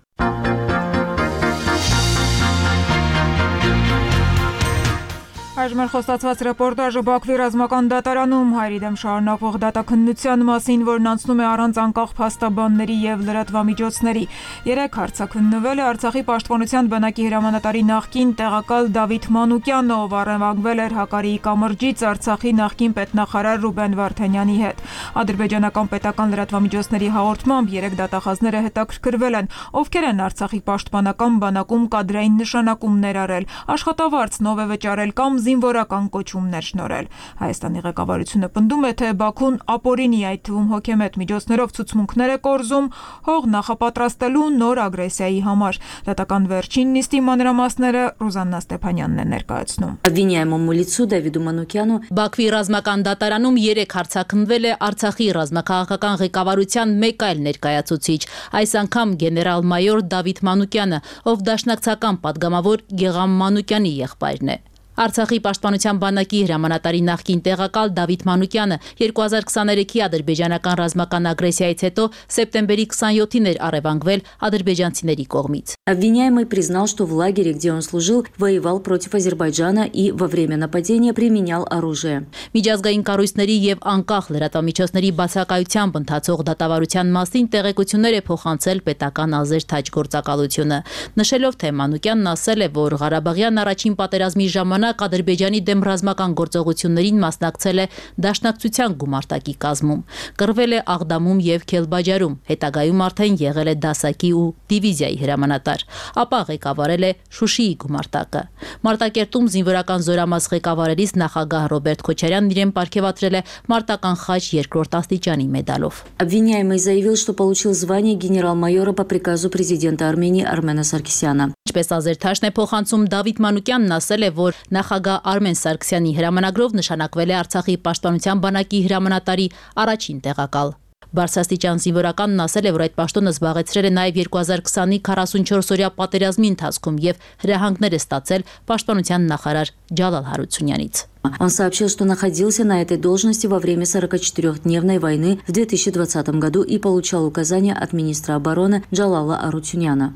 Այժմ խոստացված ռեպորտաժը Բաքվի ռազմական դատարանում հայերի դեմ շարունակվող դատաքննության մասին, որն անցնում է առանց անկախ փաստաբանների եւ լրատվամիջոցների։ 3 հարցաքննվել է Արցախի պաշտպանության բանակի հրամանատարի նախկին տեղակալ Դավիթ Մանուկյանը, ով առևանգվել էր Հակարիի կամրջից Արցախի նախկին պետնախարար Ռուբեն Վարդանյանի հետ։ Ադրբեջանական պետական լրատվամիջոցների հաղորդմամբ 3 դատախազները հետաքրքրվել են, ովքեր են Արցախի պաշտպանական բանակում կադրային նշանակումներ արել, աշխատավարձնով է վճարել կամ զինվորական կոչումներ շնորհել։ Հայաստանի ղեկավարությունը պնդում է, թե Բաքուն ապօրինի, այդ թվում հոգեմետ միջոցներով ցուցմունքներ է կորզում հող նախապատրաստելու նոր ագրեսիայի համար։ Դատական վերջին նիստի մանրամասները Ռուզաննա Ստեփանյանն է ներկայացնում։ Обвиняемому лицу Давиду Манукяну Բաքվի ռազմական դատարանում 3 հարցաքննվել է Արցախի ռազմաքաղաքական ղեկավարության մեկ այլ ներկայացուցիչ, այս անգամ գեներալ-մայոր Դավիթ Մանուկյանը, ով դաշնակցական падգամավոր Գեգամ Մանուկյանի եղբայրն է։ Արցախի պաշտպանության բանակի հրամանատարի նախկին տեղակալ Դավիթ Մանուկյանը 2023-ի ադրբեջանական ռազմական ագրեսիայից հետո սեպտեմբերի 27-ին էր առևանգվել ադրբեջանցիների կողմից։ Обвиняемый признал, что в лагере, где он служил, воевал против Азербайджана и во время нападения применял оружие. Միջազգային կառույցների եւ անկախ լրատվամիջոցների բացակայությամբ ընթացող դատավարության մասին տեղեկություններ է փոխանցել պետական ազերթաճ գործակալությունը, նշելով, թե Մանուկյանն ասել է, որ Ղարաբաղյան առաջին պատերազմի ժամանակ Ադրբեջանի դեմ ռազմական գործողություններին մասնակցել է դաշնակցության գումարտակի կազմում, կռվել է Աղդամում եւ Քելբաջարում, հետագայում արդեն եղել է դասակի ու դիվիզիայի հրամանատար, ապա ղեկավարել է Շուշիի գումարտակը։ Մարտակերտում զինվորական զորամաս ղեկավարելիս նախագահ Ռոբերտ Քոչարյանն իրեն պարգևատրել է Մարտական խաչ 2-րդ աստիճանի մեդալով։ Обвиняемый заявил, что получил звание генерал-майора по приказу президента Армении Армена Саркисяна. Ինչպես ազերթաշն է փոխանցում Դավիթ Մանուկյանն ասել է, որ նախագահ Արմեն Սարգսյանի հրամանագրով նշանակվել է Արցախի պաշտպանության բանակի հրամանատարի առաջին տեղակալ։ Բարձրաստիճան զինվորականն ասել է, որ այդ պաշտոնը զբաղեցրել է նաև 2020-ի 44-օրյա պատերազմի ընթացքում եւ հրահանգներ է ստացել պաշտպանության նախարար Ջալալ Հարությունյանից։ Он сообщил, что находился на этой должности во время 44-дневной войны в 2020 году и получал указания от министра обороны Джалала Арутюняна.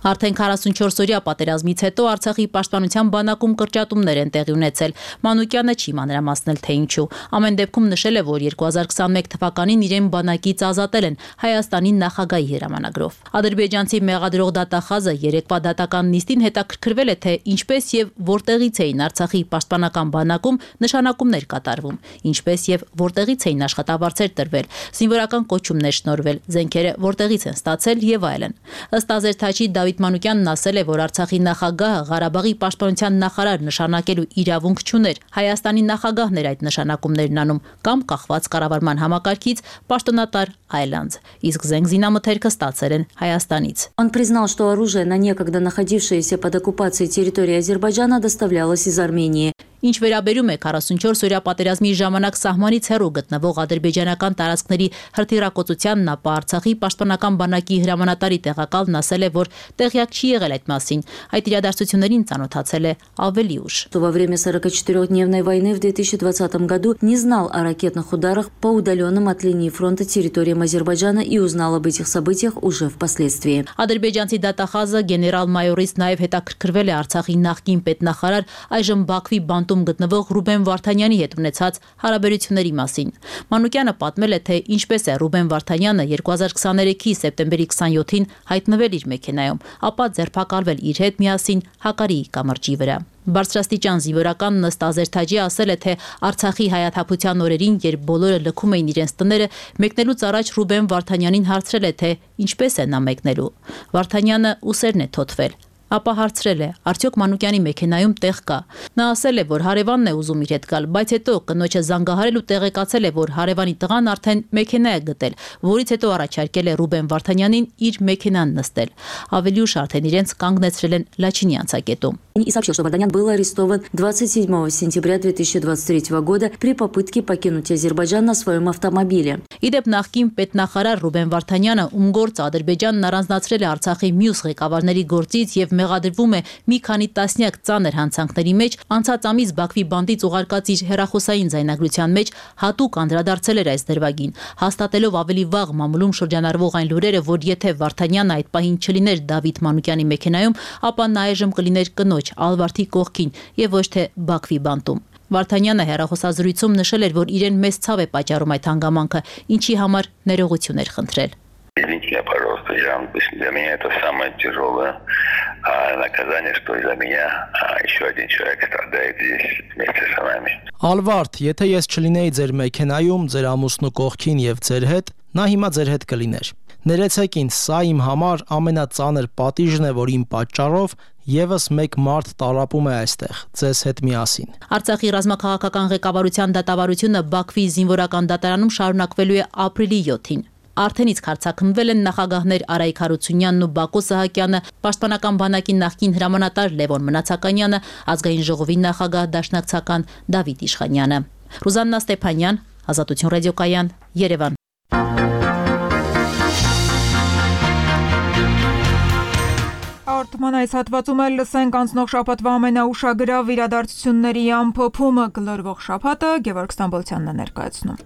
Արդեն 44-օրյա պատերազմից հետո Արցախի պաշտպանության բանակում կրճատումներ են տեղի ունեցել։ Մանուկյանը չի մանրամասնել, թե ինչու։ Ամեն դեպքում նշել է, որ 2021 թվականին իրեն բանակից ազատել են Հայաստանի նախագահի հրամանագրով։ Ադրբեջանցի մեղադրող դատախազը երեկվա դատական նիստին հետաքրքրվել է, թե ինչպես եւ որտեղից էին Արցախի պաշտպանական բանակում նշանակումներ կատարվում, ինչպես եւ որտեղից էին աշխատավարձեր տրվել, զինվորական կոչումներ շնորհվել, զենքերը որտեղից են ստացել եւ այլն։ Ըստ Ազերթաչի Դավիթ Մանուկյանն ասել է, որ Արցախի նախագահը Ղարաբաղի պաշտպանության նախարար նշանակելու իրավունք չուներ։ Հայաստանի նախագահն էր այդ նշանակումներն անում կամ կախված կառավարման համակարգից պաշտոնատար այլանց, իսկ զենք զինամթերքը ստացել են Հայաստանից։ Он признал, что оружие на некогда находившееся под оккупацией территории Азербайджана доставлялось из Армении. Ինչ վերաբերում է 44-օրյա պատերազմի ժամանակ սահմանից հեռու գտնվող ադրբեջանական տարածքների հրթիռակոծությանն, ապա Արցախի պաշտպանական բանակի հրամանատարի տեղակալն ասել է, որ տեղյակ չի եղել այդ մասին, այդ իրադարձություններին ծանոթացել է ավելի ուշ։ Во время 44-дневной войны в 2020 году не знал о ракетных ударах по удаленным от линии фронта территориям Азербайджана и узнал об этих событиях уже впоследствии. Ադրբեջանցի դատախազը գեներալ-մայորից նաև հետաքրքրվել է Արցախի նախկին պետնախարար, այժմ Բաքվի բանտում գտնվող Ռուբեն Վարդանյանի հետ ունեցած հարաբերությունների մասին։ Մանուկյանը պատմել է, թե ինչպես է Ռուբեն Վարդանյանը 2023-ի սեպտեմբերի 27-ին հայտնվել իր մեքենայում, ապա ձերբակալվել իր հետ միասին Հակարիի կամրջի վրա։ Բարձրաստիճան զինվորականն ըստ Ազերթաջի ասել է, թե Արցախի հայաթափության օրերին, երբ բոլորը լքում էին իրենց տները, մեկնելուց առաջ Ռուբեն Վարդանյանին հարցրել է, թե ինչպես է նա մեկնելու։ Վարդանյանը ուսերն է թոթվել։ Ապա հարցրել է, արդյոք Մանուկյանի մեքենայում տեղ կա։ Նա ասել է, որ հարևանն է ուզում իր հետ գալ, բայց հետո կնոջը զանգահարել ու տեղեկացել է, որ հարևանի տղան արդեն մեքենա է գտել, որից հետո առաջարկել է Ռուբեն Վարդանյանին իր մեքենան նստել։ Ավելի ուշ արդեն իրենց կանգնեցրել են Լաչինի անցակետում։ И сообщил, что Варданян был арестован 27 сентября 2023 года при попытке покинуть Азербайджан на своем автомобиле. Իդեպ նախկին պետնախարար Ռուբեն Վարդանյանը, ում գործը Ադրբեջանն առանձնացրել է Արցախի մյուս ղեկավարների գործից եւ մեղադրվում է մի քանի տասնյակ ծանր հանցանքների մեջ, անցած ամիս Բաքվի բանտից ուղարկած իր հեռախոսային ձայնագրության մեջ հատուկ անդրադարձել էր այս դրվագին, հաստատելով ավելի վաղ մամուլում շրջանառվող այն լուրերը, որ եթե Վարդանյանը այդ պահին չլիներ Դավիթ Մանուկյանի մեքենայում, ապա նա այժմ կլիներ կնոջ Ալվարդի կողքին եւ ոչ թե Բաքվի բանտում։ Վարդանյանը հեռախոսազրույցում նշել էր, որ իրեն մեծ ցավ է պատճառում այդ հանգամանքը, ինչի համար ներողություն էր խնդրել։ Извините, пожалуйста, для меня это самое тяжелое наказание, что из-за меня еще один человек страдает здесь вместе с нами. Ալվարդ, եթե ես չլինեի ձեր մեքենայում, ձեր ամուսնու կողքին եւ ձեր հետ, նա հիմա ձեր հետ կլիներ։ Ներեցեք ինձ, սա իմ համար ամենածանր պատիժն է, որ իմ պատճառով եւս մեկ մարդ տարապում է այստեղ, ձեզ հետ միասին։ Արցախի ռազմաքաղաքական ղեկավարության դատավարությունը Բաքվի զինվորական դատարանում շարունակվելու է ապրիլի 7-ին։ Արդեն իսկ հարձակվվել են նախագահներ Արայիկ Հարությունյանն ու Բակո Սահակյանը, պաշտպանական բանակի նախկին հրամանատար Լևոն Մնացականյանը, ազգային ժողովի նախագահ դաշնակցական Դավիթ Իշխանյանը։ Ռուզաննա Ստեփանյան, Ազատություն ռադիոկայան, Երևան։ Արտման այս հատվածում էլ լսենք անցնող շաբաթվա ամենաուշագրավ իրադարձությունների ամփոփումը գլորվող շաբաթը Գևորգ Ստամբոլցյանն է ներկայացնում։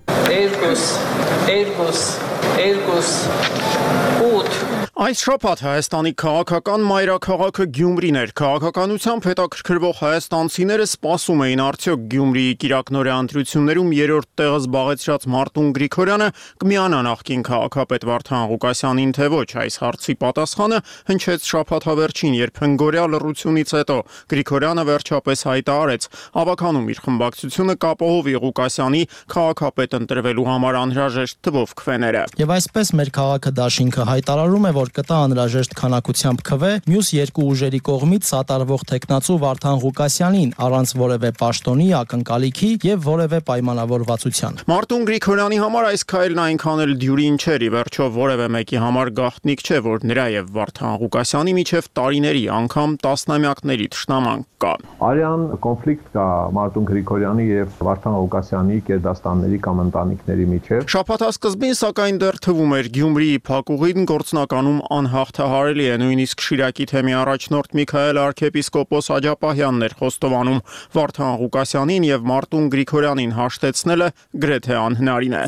8 Այս շաբաթ Հայաստանի քաղաքական մայրաքաղաքը Գյումրին էր։ Քաղաքականությամբ հետաքրքրվող հայաստանցիները սպասում էին արդյոք Գյումրիի կիրակնօրյա ընտրություններում երրորդ տեղը զբաղեցրած Մարտուն Գրիգորյանը կմիանա նախկին քաղաքապետ Վարդան Ղուկասյանին, թե ոչ։ Այս հարցի պատասխանը հնչեց շաբաթավերջին, երբ հնգօրյա լռությունից հետո Գրիգորյանը վերջապես հայտարարեց ավականում իր խմբակցությունը կապահովի Ղուկասյանի քաղաքապետ ընտրվելու համար անհրաժեշտ թվով քվեները։ Եվ այսպես մեր քաղաքը դաշինքը հայտարարում է, որ կտա անհրաժեշտ քանակությամբ քվե մյուս երկու ուժերի կողմից սատարվող տեխնացու Վարդան Ղուկասյանին առանց որևէ պաշտոնի, ակնկալիքի եւ որևէ պայմանավորվածության։ Մարտուն Գրիգորյանի համար այս քայլն այնքան էլ դյուրին չէր, ի վերջո որևէ մեկի համար գաղտնիք չէ, որ նրա եւ Վարդան Ղուկասյանի միջև տարիների, անգամ տասնամյակների թշնամանք կա։ Արյան կոնֆլիկտ կա Մարտուն Գրիգորյանի եւ Վարդան Ղուկասյանի կերդաստանների կամ ընտանիքների միջև։ Շաբաթասկզբին սակայն դեռ թվում էր Գյումրիի փակուղին գործնականում անհաղթահարելի է, նույնիսկ Շիրակի թեմի առաջնորդ Միքայել arczepiskopos Աջապահյանն էր խոստովանում Վարդան Ղուկասյանին եւ Մարտուն Գրիգորյանին հաշտեցնելը գրեթե անհնարին է։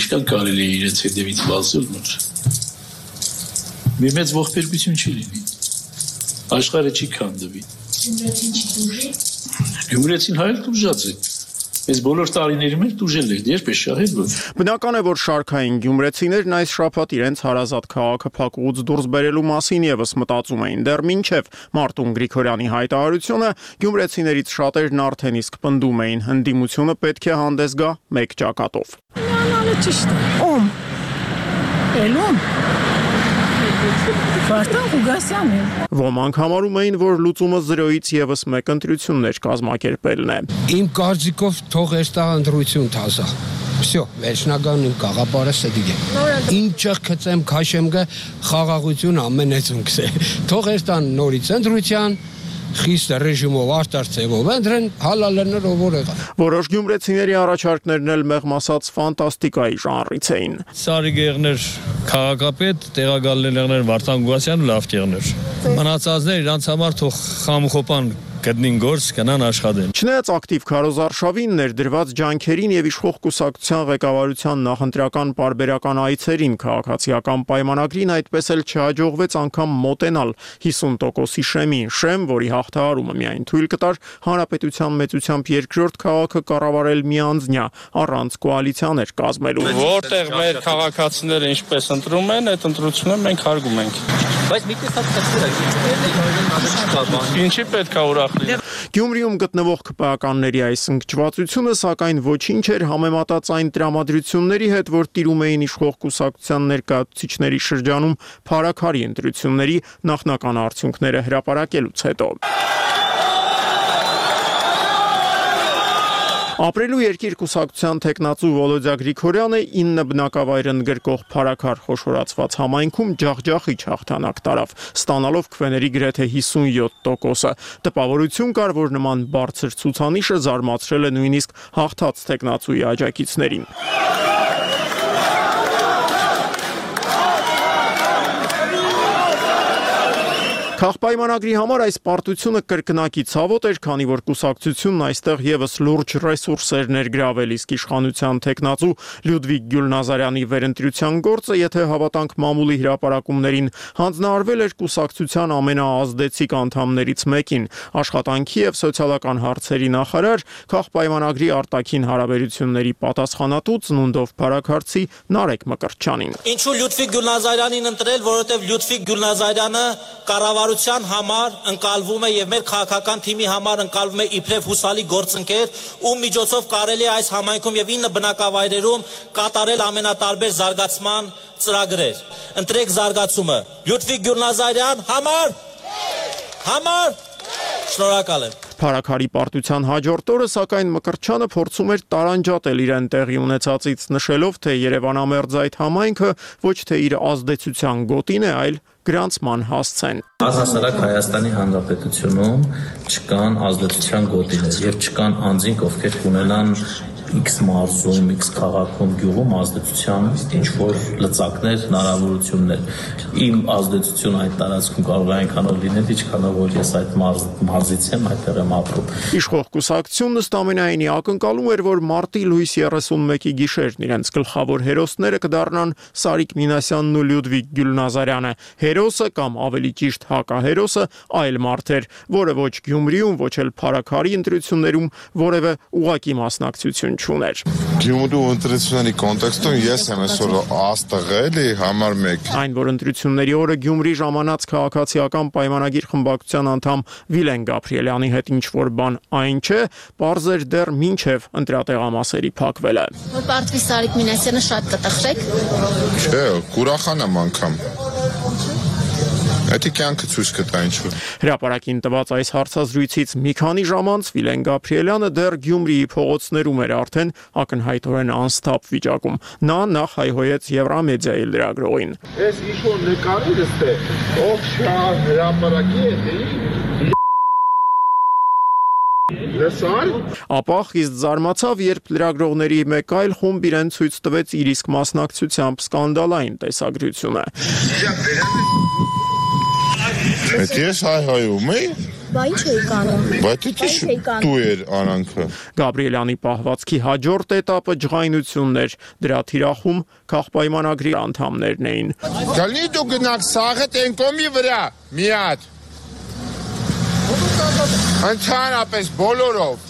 Ինչքան կարելի է իրենց հետևից բացել նոր։ Մի մեծ ողբերգություն չի լինի։ Աշխարհը չի քանդվի։ Գյումրեցին հայել դուժած է։ Այս բոլոր տարիների մեջ դուժել է, երբ է շահել որ։ Բնական է, որ շարքային գյումրեցիներն այս շաբաթ իրենց հարազատ քաղաքը փակուղուց դուրս բերելու մասին եւս մտածում էին։ Դեռ մինչեւ Մարտուն Գրիգորյանի հայտարարությունը գյումրեցիներից շատերն արդեն իսկ պնդում էին, հնդիմությունը պետք է հանդես գա մեկ ճակատով։ Ճիշտ է։ Ում։ Էլում։ Վարդան Ղուգասյանն է։ Ոմանք համարում էին, որ լուծումը 0-ից եւս մեկ ընտրություններ կազմակերպելն է։ Իմ կարծիքով թող էստա ընտրություն թազա։ Всё, վերջնական իմ գաղափարը սեդիգ է։ Ինչը քծեմ քաշեմ գա խաղաղություն ամենեցուն կսե։ Թող էստան նորից ընտրության խիստ ռեժիմով արտարծեվով ընդրեն հալալներ ով եղա։ Որոշ գյումրեցիների առաջարկներն էլ մեղմ ասած ֆանտաստիկայի ժանրից էին։ Սարի գեղներ քաղաքապետ, տեղակալներներ Վարդան Ղուգասյան լավ տեղներ։ Մնացածներ իրանց համար թող խամխոպան գտնին գործ կնան աշխատեն։ Չնայած ակտիվ քարոզարշավին ներդրված ջանքերին եւ իշխող կուսակցության ղեկավարության նախընտրական պարբերական այցերին քաղաքացիական պայմանագրին այդպես էլ չհաջողվեց անգամ մոտենալ 50%-ի շեմին, շեմ, որի հաղթահարումը միայն թույլ կտար հանրապետության մեծությամբ երկրորդ քաղաքը կառավարել միանձնյա առանց կոալիցիաներ կազմելու։ Որտեղ մեր քաղաքացիները ինչպես ընտրում են, այդ ընտրությունը մենք հարգում ենք։ Բայց մի տեսակ ինչի պետք է ուրախ լինել։ Գյումրիում գտնվող ԿՊԱ-ականների այս ընկճվածությունը սակայն ոչինչ էր համեմատած այն տրամադրությունների հետ, որ տիրում էին իշխող կուսակցության ներկայացուցիչների շրջանում փառաքարի ընտրությունների նախնական արդյունքները հրապարակելուց հետո։ Ապրելու երկիր կուսակցության տեխնացու Վոլոդյա Գրիգորյանը 9 բնակավայր ընդգրկող փառաքար խոշորացված համայնքում ջախջախիչ հաղթանակ տարավ, ստանալով քվեների գրեթե 57%-ը։ Տպավորություն կար, որ նման բարձր ցուցանիշը զարմացրել է նույնիսկ հաղթած տեխնացուի աջակիցներին։ Քաղաքպայմանագրի համար այս պարտությունը կրկնակի ցավոտ էր, քանի որ կուսակցությունն այստեղ եւս լուրջ ռեսուրսեր ներգրավել, իսկ իշխանության տեխնացու Լյուդվիգ Գյուլնազարյանի վերընտրության գործը, եթե հավատանք մամուլի հրապարակումներին, հանձնարարվել էր կուսակցության ամենաազդեցիկ անդամներից մեկին, աշխատանքի եւ սոցիալական հարցերի նախարար, քաղաքպայմանագրի արտաքին հարաբերությունների պատասխանատու ծնունդով փառաքարցի Նարեկ Մկրտչյանին։ Ինչու Լյուդվիգ Գյուլնազարյանին ընտրել, որովհետեւ Լյուդվիգ Գյուլնազարյանը կառավարության համար ընկալվում է եւ մեր քաղաքական թիմի համար ընկալվում է իբրև հուսալի գործընկեր, ում միջոցով կարելի է այս համայնքում եւ 9 բնակավայրերում կատարել ամենատարբեր զարգացման ծրագրեր։ Ընտրեք զարգացումը։ Լյուդվիգ Գյուլնազարյան համար շնորհակալ եմ։ Փառաքարի պարտության հաջորդ օրը, սակայն Մկրտչյանը փորձում էր տարանջատել իրեն տեղի ունեցածից, նշելով, թե Երևանամերձ այդ համայնքը ոչ թե իր ազդեցության գոտին է, այլ գրանցման հասցեն։ Առհասարակ Հայաստանի Հանրապետությունում չկան ազդեցության գոտիներ եւ չկան անձինք, ովքեր ունենան X մարզում, X քաղաքում, գյուղում ազդեցության ինչ-որ լծակներ, հնարավորություններ։ Իմ ազդեցությունը այդ տարածքում կարող է այնքանով լինել, ինչքանով որ ես այդ մարզից եմ, այդտեղ եմ ապրում։ Իշխող կուսակցությունն ըստ ամենայնի ակնկալում էր, որ մարտի լույս 31-ի գիշերն իրենց գլխավոր հերոսները կդառնան Սարիկ Մինասյանն ու Լյուդվիգ Գյուլնազարյանը։ Հերոսը կամ ավելի ճիշտ հակահերոսը այլ մարդ էր, որը ոչ Գյումրիում, ոչ էլ փառաքարի ընտրություններում որևէ ուղղակի մասնակցություն չուներ։ Գյումրու ընտրությունների կոնտեքստում ես եմ այսօր աստղ էլի համար 1։ Այն, որ ընտրությունների օրը Գյումրի ժամանած քաղաքացիական պայմանագիր խմբակցության անդամ Վիլեն Գաբրիելյանի հետ ինչ-որ բան այն չէ, պարզ էր դեռ մինչև ընտրատեղամասերի փակվելը։ Որ պարտվի Սարիկ Մինասյանը շատ կտխվեք։ Չէ, կուրախան եմ անգամ։ Դա կյանքը ցույց կտա ինչ-որ։ Հրապարակին տված այս հարցազրույցից մի քանի ժամ անց Վիլեն Գաբրիելյանը դեռ Գյումրիի փողոցներում էր արդեն ակնհայտորեն անստապ վիճակում։ Նա նախ հայհոյեց Եվրամեդիայի լրագրողին։ Ես ինչ-որ նկարել էստե, ով շահ հրապարակի է, Ապա խիստ զարմացավ, երբ լրագրողների մեկ այլ խումբ իրեն ցույց տվեց իր իսկ մասնակցությամբ սկանդալային տեսագրությունը։ Այդ ես հայհայում էի։ Բա ինչ էի կանում։ Բայց դա դու էր արանքը։ Գաբրիելյանի պահվածքի հաջորդ էտապը ջղայնությունն էր։ Դրա թիրախում քաղաքպայմանագրի անդամներն էին։ Գալի դու գնաք սաղը տենկոմի վրա, մի հատ։ Ընդհանրապես բոլորով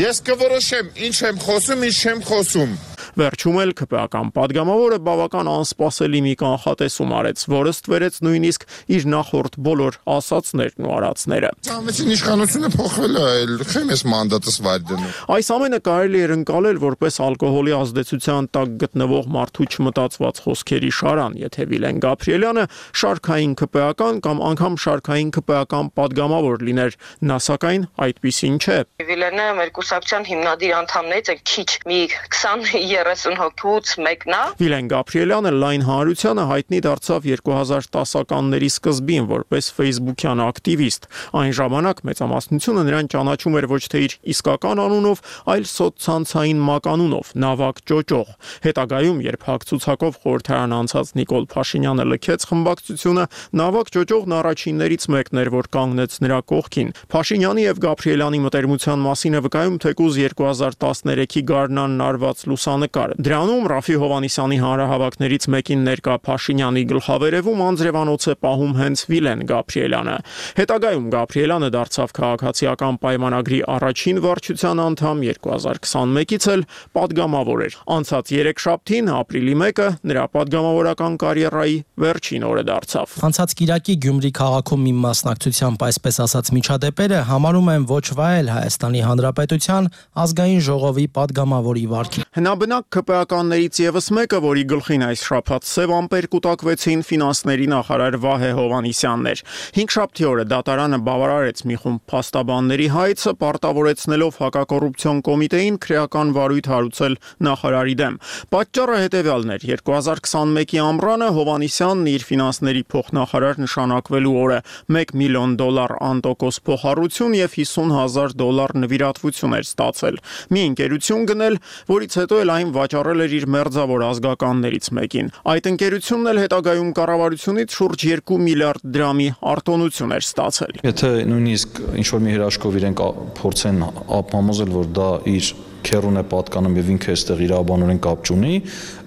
ես կորոշեմ ինչ եմ խոսում, ինչ չեմ խոսում։ Վերջում էլ ԿՊԱ-կան падգամավորը բավական անսպասելի մի կանխատեսում արեց, որը ստվերեց նույնիսկ իր նախորդ բոլոր ասածներն ու արածները։ Ցամեցին իշխանությունը փոխվել է, խեմ ես մանդատս վայր դնում։ Այս ամենը կարելի էր ընկալել որպես ալկոհոլի ազդեցության տակ գտնվող մարդու չմտածված խոսքերի շարան, եթե Վիլեն Գաբրիելյանը շարքային ԿՊԱ-կան կամ անգամ շարքային ԿՊԱ-կան падգամավոր լիներ, նա սակայն այդպիսին չէ։ Վիլենը մեր կուսակցության հիմնադիր անդամներից է, քիչ մի 20-30 հոգուց մեկն է։ Վիլեն Գաբրիելյանը լայն հանրությանը հայտնի դարձավ 2010-ականների սկզբին որպես Facebook-յան ակտիվիստ։ Այն ժամանակ մեծամասնությունը նրան ճանաչում էր ոչ թե իր իսկական անունով, այլ սոցցանցային մականունով՝ Նավակ Ճոճող։ Հետագայում, երբ հագցուցակով խորհրդարան անցած Նիկոլ Փաշինյանը լքեց խմբակցությունը, Նավակ Ճոճողն առաջիններից մեկն էր, որ կանգնեց նրա կողքին։ Փաշինյանի եւ Գաբրիելյանի մտերմության մասին է վկայում թեկուզ 2013-ի գարնանն արված լուսանկար։ Դրանում Ռաֆի Հովհաննիսյանի հանրահավաքներից մեկին ներկա Փաշինյանի գլխավերևում անձրևանոց է պահում հենց Վիլեն Գաբրիելյանը։ Հետագայում Գաբրիելյանը դարձավ քաղաքացիական պայմանագրի առաջին վարչության անդամ, 2021-ից էլ падգամավոր էր։ Անցած 3 շաբթին, ապրիլի 1-ը, նրա падգամավորական կարիերայի վերջին օրը դարձավ։ Անցած կիրակի Գյումրի քաղաքում մի մասնակցությամբ այսպես ասած միջադեպերը համարում են ոչ վայել Հայաստանի Հանրապետության ազգային ժողովի падգամավորի վարքին։ Հնաբնակ ԿՊԱ-ականներից եւս մեկը, որի գլխին այս շաբաթ սև ամպեր կուտակվեցին, ֆինանսների նախարար Վահե Հովհաննիսյանն էր։ 5 շաբթի օրը դատարանը բավարարեց մի խումբ փաստաբանների հայցը, պարտավորեցնելով հակակոռուպցիոն կոմիտեին քրեական վարույթ հարուցել նախարարի դեմ։ Պատճառը հետևյալն էր. 2021-ի ամռանը Հովհաննիսյանն իր ֆինանսների փոխնախարար նշանակվելու օրը $1 միլիոն անտոկոս փոխառություն եւ $50,000 նվիրատվություն էր ստացել։ Մի ընկերություն գնել, որից հետո էլ այն վաճառել էր իր մերձավոր ազգականներից մեկին։ Այդ ընկերությունն էլ հետագայում կառավարությունից շուրջ 2 միլիարդ դրամի արտոնություն էր ստացել։ Եթե նույնիսկ ինչ-որ մի հրաշքով իրենք փորձեն ապահովել, որ դա իր քերուն է պատկանում եւ ինքը այստեղ իրավաբանորեն կապ չունի,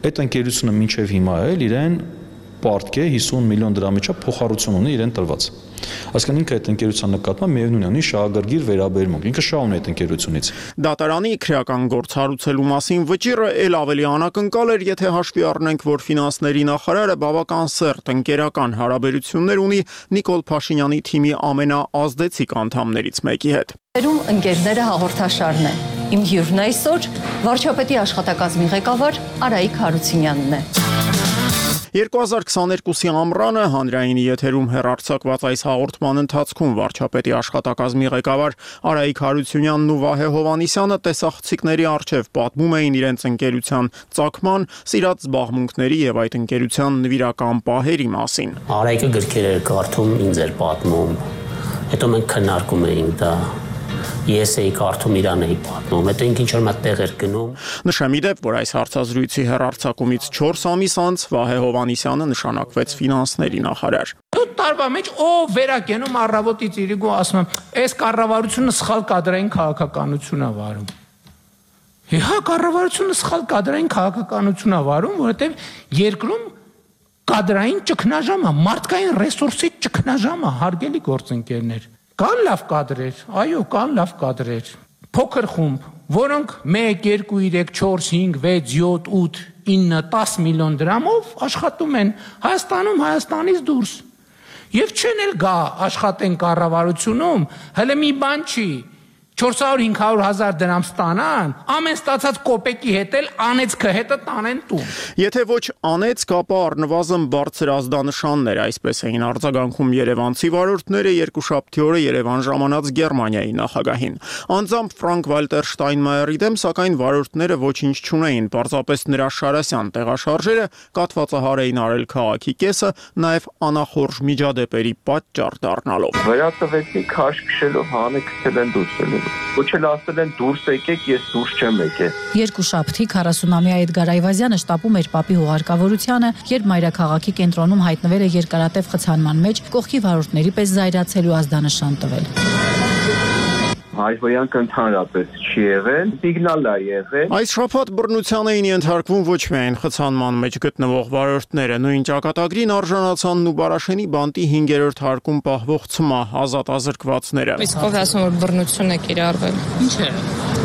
այդ ընկերությունը մինչեւ հիմա էլ իրեն պարտք է 50 միլիոն դրամի չափ փոխառություն ունի իրեն տրված։ Այսինքն ինքը այդ ընկերության նկատմամբ միևնույն ունի շահագրգիռ վերաբերմունք, ինքը շահ ունի այդ ընկերությունից։ Դատարանի քրեական գործ հարուցելու մասին վճիռը ել ավելի անակնկալ էր, եթե հաշվի առնենք, որ ֆինանսների նախարարը բավական սերտ ընկերական հարաբերություններ ունի Նիկոլ Փաշինյանի թիմի ամենաազդեցիկ անդամներից մեկի հետ։ Ընկերները հաղորդաշարն է։ Իմ հյուրն այսօր վարչապետի աշխատակազմի ղեկավար Արայիկ Հարությունյանն է։ 2022-ի ամռանը հանրայինի եթերում հեռարձակված այս հաղորդման ընթացքում վարչապետի աշխատակազմի ղեկավար Արայիկ Հարությունյանն ու Վահե Հովհաննիսյանը տեսախցիկների առջև պատմում էին իրենց ընկերության ծագման, սիրած զբաղմունքների եւ այդ ընկերության նվիրական պահերի մասին։ Արայիկը գրքեր էր կարդում, ինձ էր պատմում։ Հետո մենք քննարկում էինք դա։ Ես էի կարդում, իրան էի պատմում, հետո ինքն ինչ-որ մատ տեղ էր գնում։ Նշեմ ի դեպ, որ այս հարցազրույցի հեռարձակումից 4 ամիս անց Վահե Հովհաննիսյանը նշանակվեց ֆինանսների նախարար։ Տարվա մեջ ով վերակենում առավոտից իրիկու ասում եմ, այս կառավարությունը սխալ կադրային քաղաքականություն է վարում։ Հա, կառավարությունը սխալ կադրային քաղաքականություն է վարում, որովհետև երկրում կադրային ճգնաժամ է, մարդկային ռեսուրսի ճգնաժամ է, հարգելի գործընկերներ։ Կան լավ կադրեր, այո, կան լավ կադրեր։ Փոքր խումբ, որոնք 1, 2, 3, 4, 5, 6, 7, 8, 9, 10 միլիոն դրամով աշխատում են Հայաստանում, Հայաստանից դուրս։ Եվ չեն էլ գա աշխատեն կառավարությունում, հələ մի բան չի, 400-500 հազար դրամ ստանան, ամեն ստացած կոպեկի հետ էլ անեցքը հետը տանեն տուն։ Եթե ոչ անեցք, ապա առնվազն բարձր ազդանշաններ, այսպես էին արձագանքում երևանցի վարորդները երկուշաբթի օրը Երևան ժամանած Գերմանիայի նախագահին։ Անձամբ Ֆրանկ Վալտեր Շտայնմայերի դեմ, սակայն վարորդները ոչինչ չունեին, պարզապես նրա Շարասյան տեղաշարժերը կաթվածահար էին արել քաղաքի կեսը, նաև անախորժ միջադեպերի պատճառ դառնալով։ Վերատվեցի քաշ քշելով հանեքցել են դուրս Ոչ էլ ասել են դուրս եկեք, ես դուրս չեմ եկել։ Երկուշաբթի 40-ամյա Էդգար Այվազյանը շտապում էր Պապի հուղարկավորությանը, երբ մայրաքաղաքի կենտրոնում հայտնվել է երկարատև խցանման մեջ, կողքի վարորդների պես զայրացել ու ազդանշան տվել։ Հայհոյանք ընդհանրապես չի եղել, սիգնալ է եղել։ Այս շաբաթ բռնության էին ենթարկվում ոչ միայն խցանման մեջ գտնվող վարորդները, նույն ճակատագրին արժանացան Նուբարաշենի բանտի 5-րդ հարկում պահվող ցմահ ազատազրկվածները։ Իսկ ով ասում որ բռնություն է կիրառվել։ Ինչ է։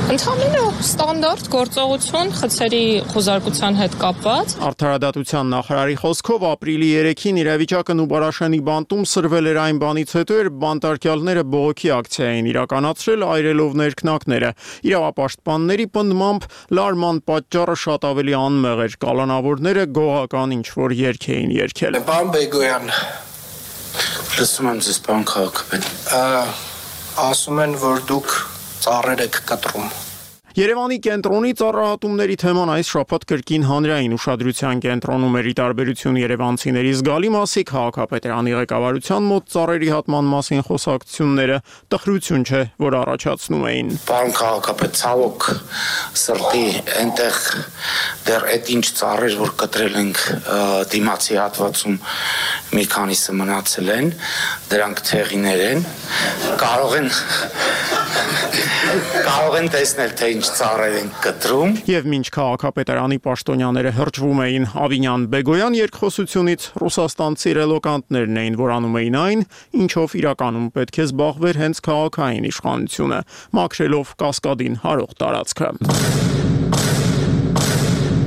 Ընդհանրապես ստանդարտ գործողություն խցերի խոզարկության հետ կապված։ Արդարադատության նախարարի խոսքով ապրիլի 3-ին իրավիճակը Նուբարաշենի բանտում սրվել էր այն բանից հետո, երբ բանտարկյալները բողոքի ակցիա էին իրականացրել այրելով ներքնակները։ Իրավապաշտպանների պնդմամբ լարման պատճառը շատ ավելի անմեղ էր, կալանավորները գողական ինչ-որ երգ էին երգել։ Պարոն Բեգոյան, լսում եմ ձեզ, պարոն քաղաքապետ, ասում են, որ դուք ծառեր եք կտրում։ Երևանի կենտրոնի ծառահատումների թեման այս շաբաթ կրկին հանրային ուշադրության կենտրոնում էր՝ ի տարբերություն երևանցիների զգալի մասի քաղաքապետարանի ղեկավարության մոտ ծառերի հատման մասին խոսակցությունները տխրություն չէ, որ առաջացնում էին։ Պարոն քաղաքապետ, ցավոք սրտի այնտեղ դեռ այդ ինչ ծառեր, որ կտրել ենք դիմացի հատվածում, մի քանիսը մնացել են, դրանք թեղիներ են, կարող են տեսնել, թե ինչ ծառեր են կտրում։ Եվ մինչ քաղաքապետարանի պաշտոնյաները հրճվում էին Ավինյան-Բեգոյան երկխոսությունից, ռուսաստանցի ռելոկանտներն էին, որ անում էին այն, ինչով իրականում պետք է զբաղվեր հենց քաղաքային իշխանությունը, մաքրելով Կասկադին հարող տարածքը։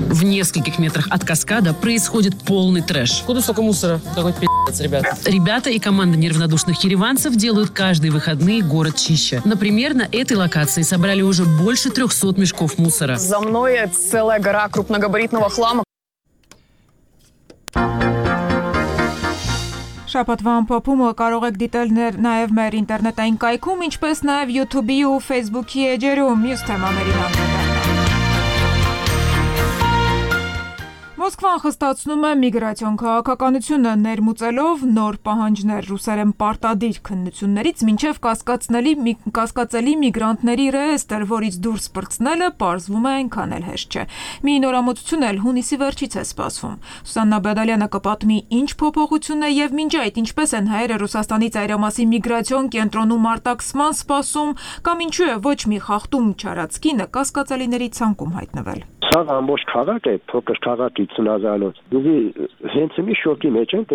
В нескольких метрах от каскада происходит полный трэш. Куда столько мусора? Какой пи***ц, ребят. Ребята и команда неравнодушных ереванцев делают каждые выходные город чище. Например, на этой локации собрали уже больше 300 мешков мусора. За мной целая гора крупногабаритного хлама. Շաբաթվա ամփոփումը կարող եք դիտել նաև մեր ինտերնետային կայքում, ինչպես նաև YouTube-ի ու Facebook-ի էջերում, մյուս թեմաներին անդրադառնալով։ Մոսկվան խստացնում է միգրացիոն քաղաքականությունը, ներմուծելով նոր պահանջներ ռուսերեն պարտադիր քննություններից մինչև կասկածելի միգրանտների ռեեստրը, որից դուրս պրծնելը պարզվում է այնքան էլ հեշտ չէ։ Մի նորամուծություն էլ հունիսի վերջից է սպասվում։ Սուսաննա Բադալյանը կպատմի ինչ փոփոխություն է եւ մինչ այդ ինչպես են հայերը Ռուսաստանի ծայրամասի միգրացիոն կենտրոնում արտաքսման սպասում կամ ինչու է ոչ մի խախտում չարած կինը կասկածելիների ցանկում հայտնվել։ Սա ամբողջ քաղաք է, փոքր քաղաքի ծնազալոց։ Դուք հենց մի շոկի մեջ եք,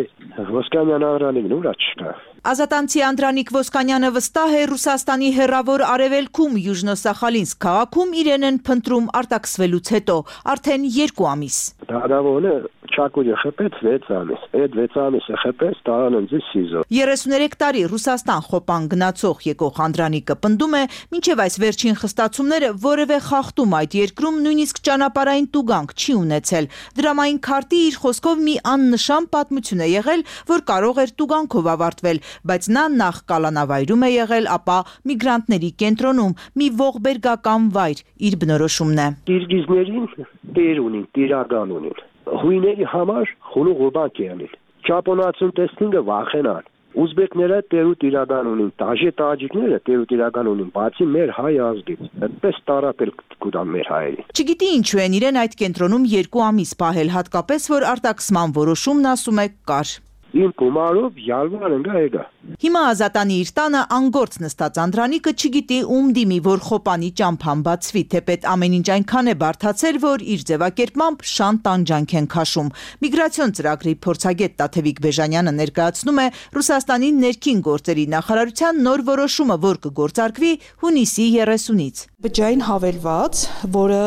Ոսկանյան Անդրանիկն ուրա չկա։ Ազատանցի Անդրանիկ Ոսկանյանը վստահ է Ռուսաստանի հեռավոր արևելքում Յուժնո-Սախալինսկ քաղաքում իրեն են փնտրում արտաքսվելուց հետո, արդեն 2 ամիս։ Դարավոնը Չակուրի խփեց 6 ամիս, այդ 6 ամիսը խփեց տարան ինձ սիզո։ 33 տարի Ռուսաստան խոպան գնացող եկող Անդրանիկը պնդում է, մինչև այս վերջին խստացումները որևէ խախտում այդ երկրում նույնիսկ ճանապարհային տուգանք չի ունեցել։ Դրամային քարտի իր խոսքով մի աննշան պատմություն է եղել, որ կարող էր տուգանքով ավարտվել, բայց նա նախ կալանավայրում է եղել, ապա միգրանտների կենտրոնում, մի ողբերգական վայր, իր բնորոշումն է։ Կիրգիզներին տեր ունին, տիրական ունին։ Հույների համար խունուղ բակ ելին։ Ճապոնացուն տեսնինը վախենան։ Ուզբեկները տերուտ իրական ունին, տաջիկները տերուտ իրական ունին, բացի մեր հայ ազգից։ Այդպես տարապել կուտան մեր հայերին։ Չգիտի ինչու են իրեն այդ կենտրոնում 2 ամիս պահել, հատկապես որ արտաքսման որոշումն ասում է կար։ Իմ կումարով յալվար ընկա եկա։ Հիմա Ազատանի իր տանը անգործ նստած Անդրանիկը չգիտի ում դիմի, որ խոպանի ճամփան բացվի, թեպետ ամեն ինչ այնքան է բարդացել, որ իր ձևակերպմամբ շան տանջանք են քաշում։ Միգրացիոն ծրագրի փորձագետ Տաթևիկ Բեժանյանը ներկայացնում է Ռուսաստանի ներքին գործերի նախարարության նոր որոշումը, որ կգործարկվի հունիսի 30-ից։ Բջջային հավելված, որը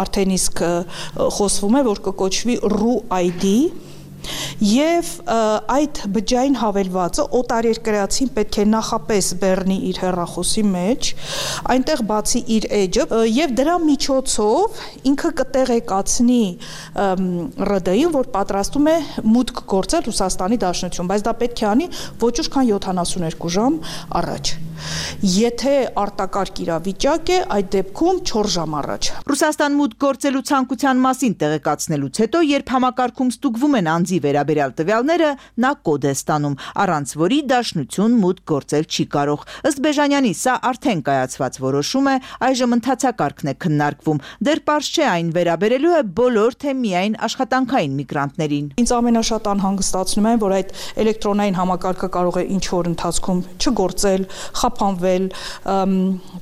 արդեն իսկ խոսվում է, որ կկոչվի RU-ID Եվ այդ բջջային հավելվածը օտարերկրացին պետք է նախապես բեռնի իր հեռախոսի մեջ, այնտեղ բացի իր էջը եւ դրա միջոցով ինքը կտեղեկացնի ՌԴ-ին, որ պատրաստում է մուտք գործել Ռուսաստանի Դաշնություն, բայց դա պետք է անի ոչ ուշ քան 72 ժամ առաջ։ Եթե արտակարգ իրավիճակ է, այդ դեպքում 4 ժամ առաջ։ Ռուսաստան մուտք գործելու ցանկության մասին տեղեկացնելուց հետո, երբ համակարգում ստուգվում են անձի վերաբերյալ տվյալները, նա կոդ է ստանում, առանց որի Դաշնություն մուտք գործել չի կարող։ Ըստ Բեժանյանի, սա արդեն կայացված որոշում է, այժմ ընթացակարգն է քննարկվում։ Դեռ պարզ չէ այն վերաբերելու է բոլոր թե միայն աշխատանքային միգրանտներին։ Ինձ ամենաշատ անհանգստացնում է, որ այդ էլեկտրոնային համակարգը կարող է ինչ որ ընթացքում չգործել, խափանվել,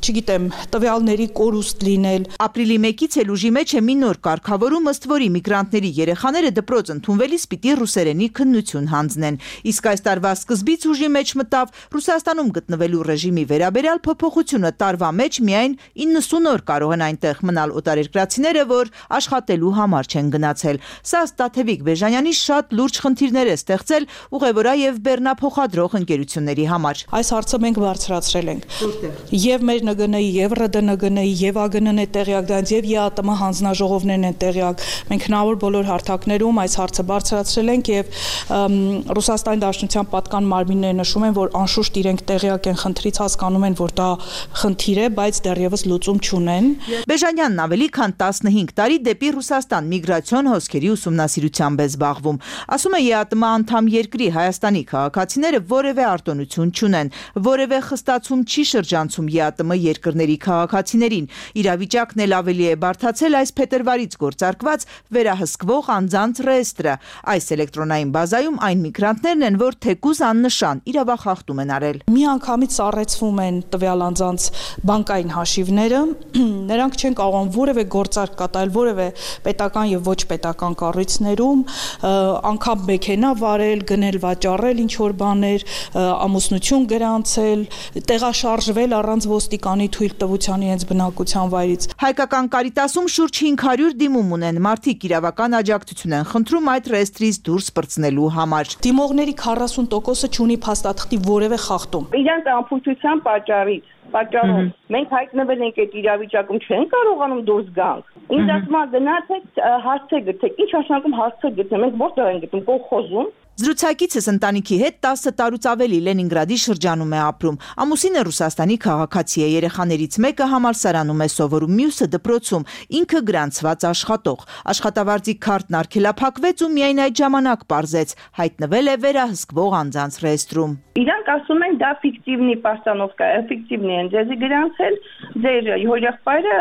չգիտեմ, տվյալների կորուստ լինել։ Ապրիլի 1-ից էլ ուժի մեջ է մի նոր կարգավորում, ըստ որի միգրանտների երեխաները դպրոց ընդունվելիս պիտի ռուսերենի քննություն հանձնեն։ Իսկ այս տարվա սկզբից ուժի մեջ մտավ Ռուսաստանում գտնվելու ռեժիմի վերաբերյալ փոփոխությունը տարվա մեջ միայն 90 օր կարող են այնտեղ մնալ օտարերկրացիները, որ աշխատելու համար չեն գնացել։ Սա Տաթևիկ Բեժանյանի շատ լուրջ խնդիրներ է ստեղծել ուղևորա եւ բեռնափոխադրող ընկերությունների համար։ Այս հարցը մենք բարձրացրել ենք։ Եվ մեր ՆԳՆ-ի, եւ ՌԴ-ՆԳՆ-ի, եւ ԱԳՆ-ն է տեղյակ դրանց, եւ ԵԱՏՄ հանձնաժողովներն են տեղյակ։ Մենք հնարավոր բոլոր հարթակներում այս հարցը բարձրացրել ենք եւ Ռուսաստանի Դաշնության պատկան մարմինները նշում են, որ անշուշտ իրենք տեղյակ են խնդրից, հասկանում են, որ դա խնդիր է, բայց դեռևս լուծում չունեն։ Բեժանյանն ավելի քան 15 տարի դեպի Ռուսաստան միգրացիոն հոսքերի ուսումնասիրությամբ է զբաղվում։ Ասում է ԵԱՏՄ անդամ երկրի Հայաստանի քաղաքացիները որևէ արտոնություն չունեն, որևէ խստացում չի շրջանցում ԵԱՏՄ երկրների քաղաքացիներին։ Իրավիճակն էլ ավելի է բարդացել այս փետրվարից գործարկված վերահսկվող անձանց ռեեստրը։ Այս էլեկտրոնային բազայում այն միգրանտներն են, որ թեկուզ աննշան իրավախախտում են արել։ Միանգամից սառեցվում են տվյալ անձանց բանկային հաշիվները, նրանք չեն կարողանում որևէ գործարք կատարել որևէ պետական եւ ոչ պետական կառույցներում, անգամ մեքենա վարել, գնել վաճառել ինչ որ բաներ, ամուսնություն գրանցել, տեղաշարժվել առանց ոստիկանի թույլտվության իրենց բնակության վայրից։ Հայկական Կարիտասում շուրջ 500 դիմում ունեն, մարդիկ իրավական աջակցություն են խնդրում այդ ռեեստրից դուրս պրծնելու համար։ Դիմողների 40%-ը չունի փաստաթղթի որևէ խախտում։ Իրանց անփույթության պատճառով մենք հայտնվել ենք այդ իրավիճակում, չեն կարողանում դուրս գանք։ Ինձ ասում են գնացեք հարցեր գտեք։ Ինչ նշանակում հարցեր գտնել։ Մենք որտեղ ենք գտնում կողխոզում։ Զրուցակիցս ընտանիքի հետ 10 տարուց ավելի Լենինգրադի շրջանում է ապրում։ Ամուսինը Ռուսաստանի քաղաքացի է, երեխաներից մեկը համալսարանում է սովորում, մյուսը դպրոցում, ինքը գրանցված աշխատող։ Աշխատավարձի քարտն արգելափակվեց ու միայն այդ ժամանակ պարզեց հայտնվել է վերահսկվող անձանց ռեեստրում։ Իրանք ասում են դա ֆիկտիվնի պաստանովկա է, ֆիկտիվնի են ձեզի գրանցել, ձեր հորեղբայրը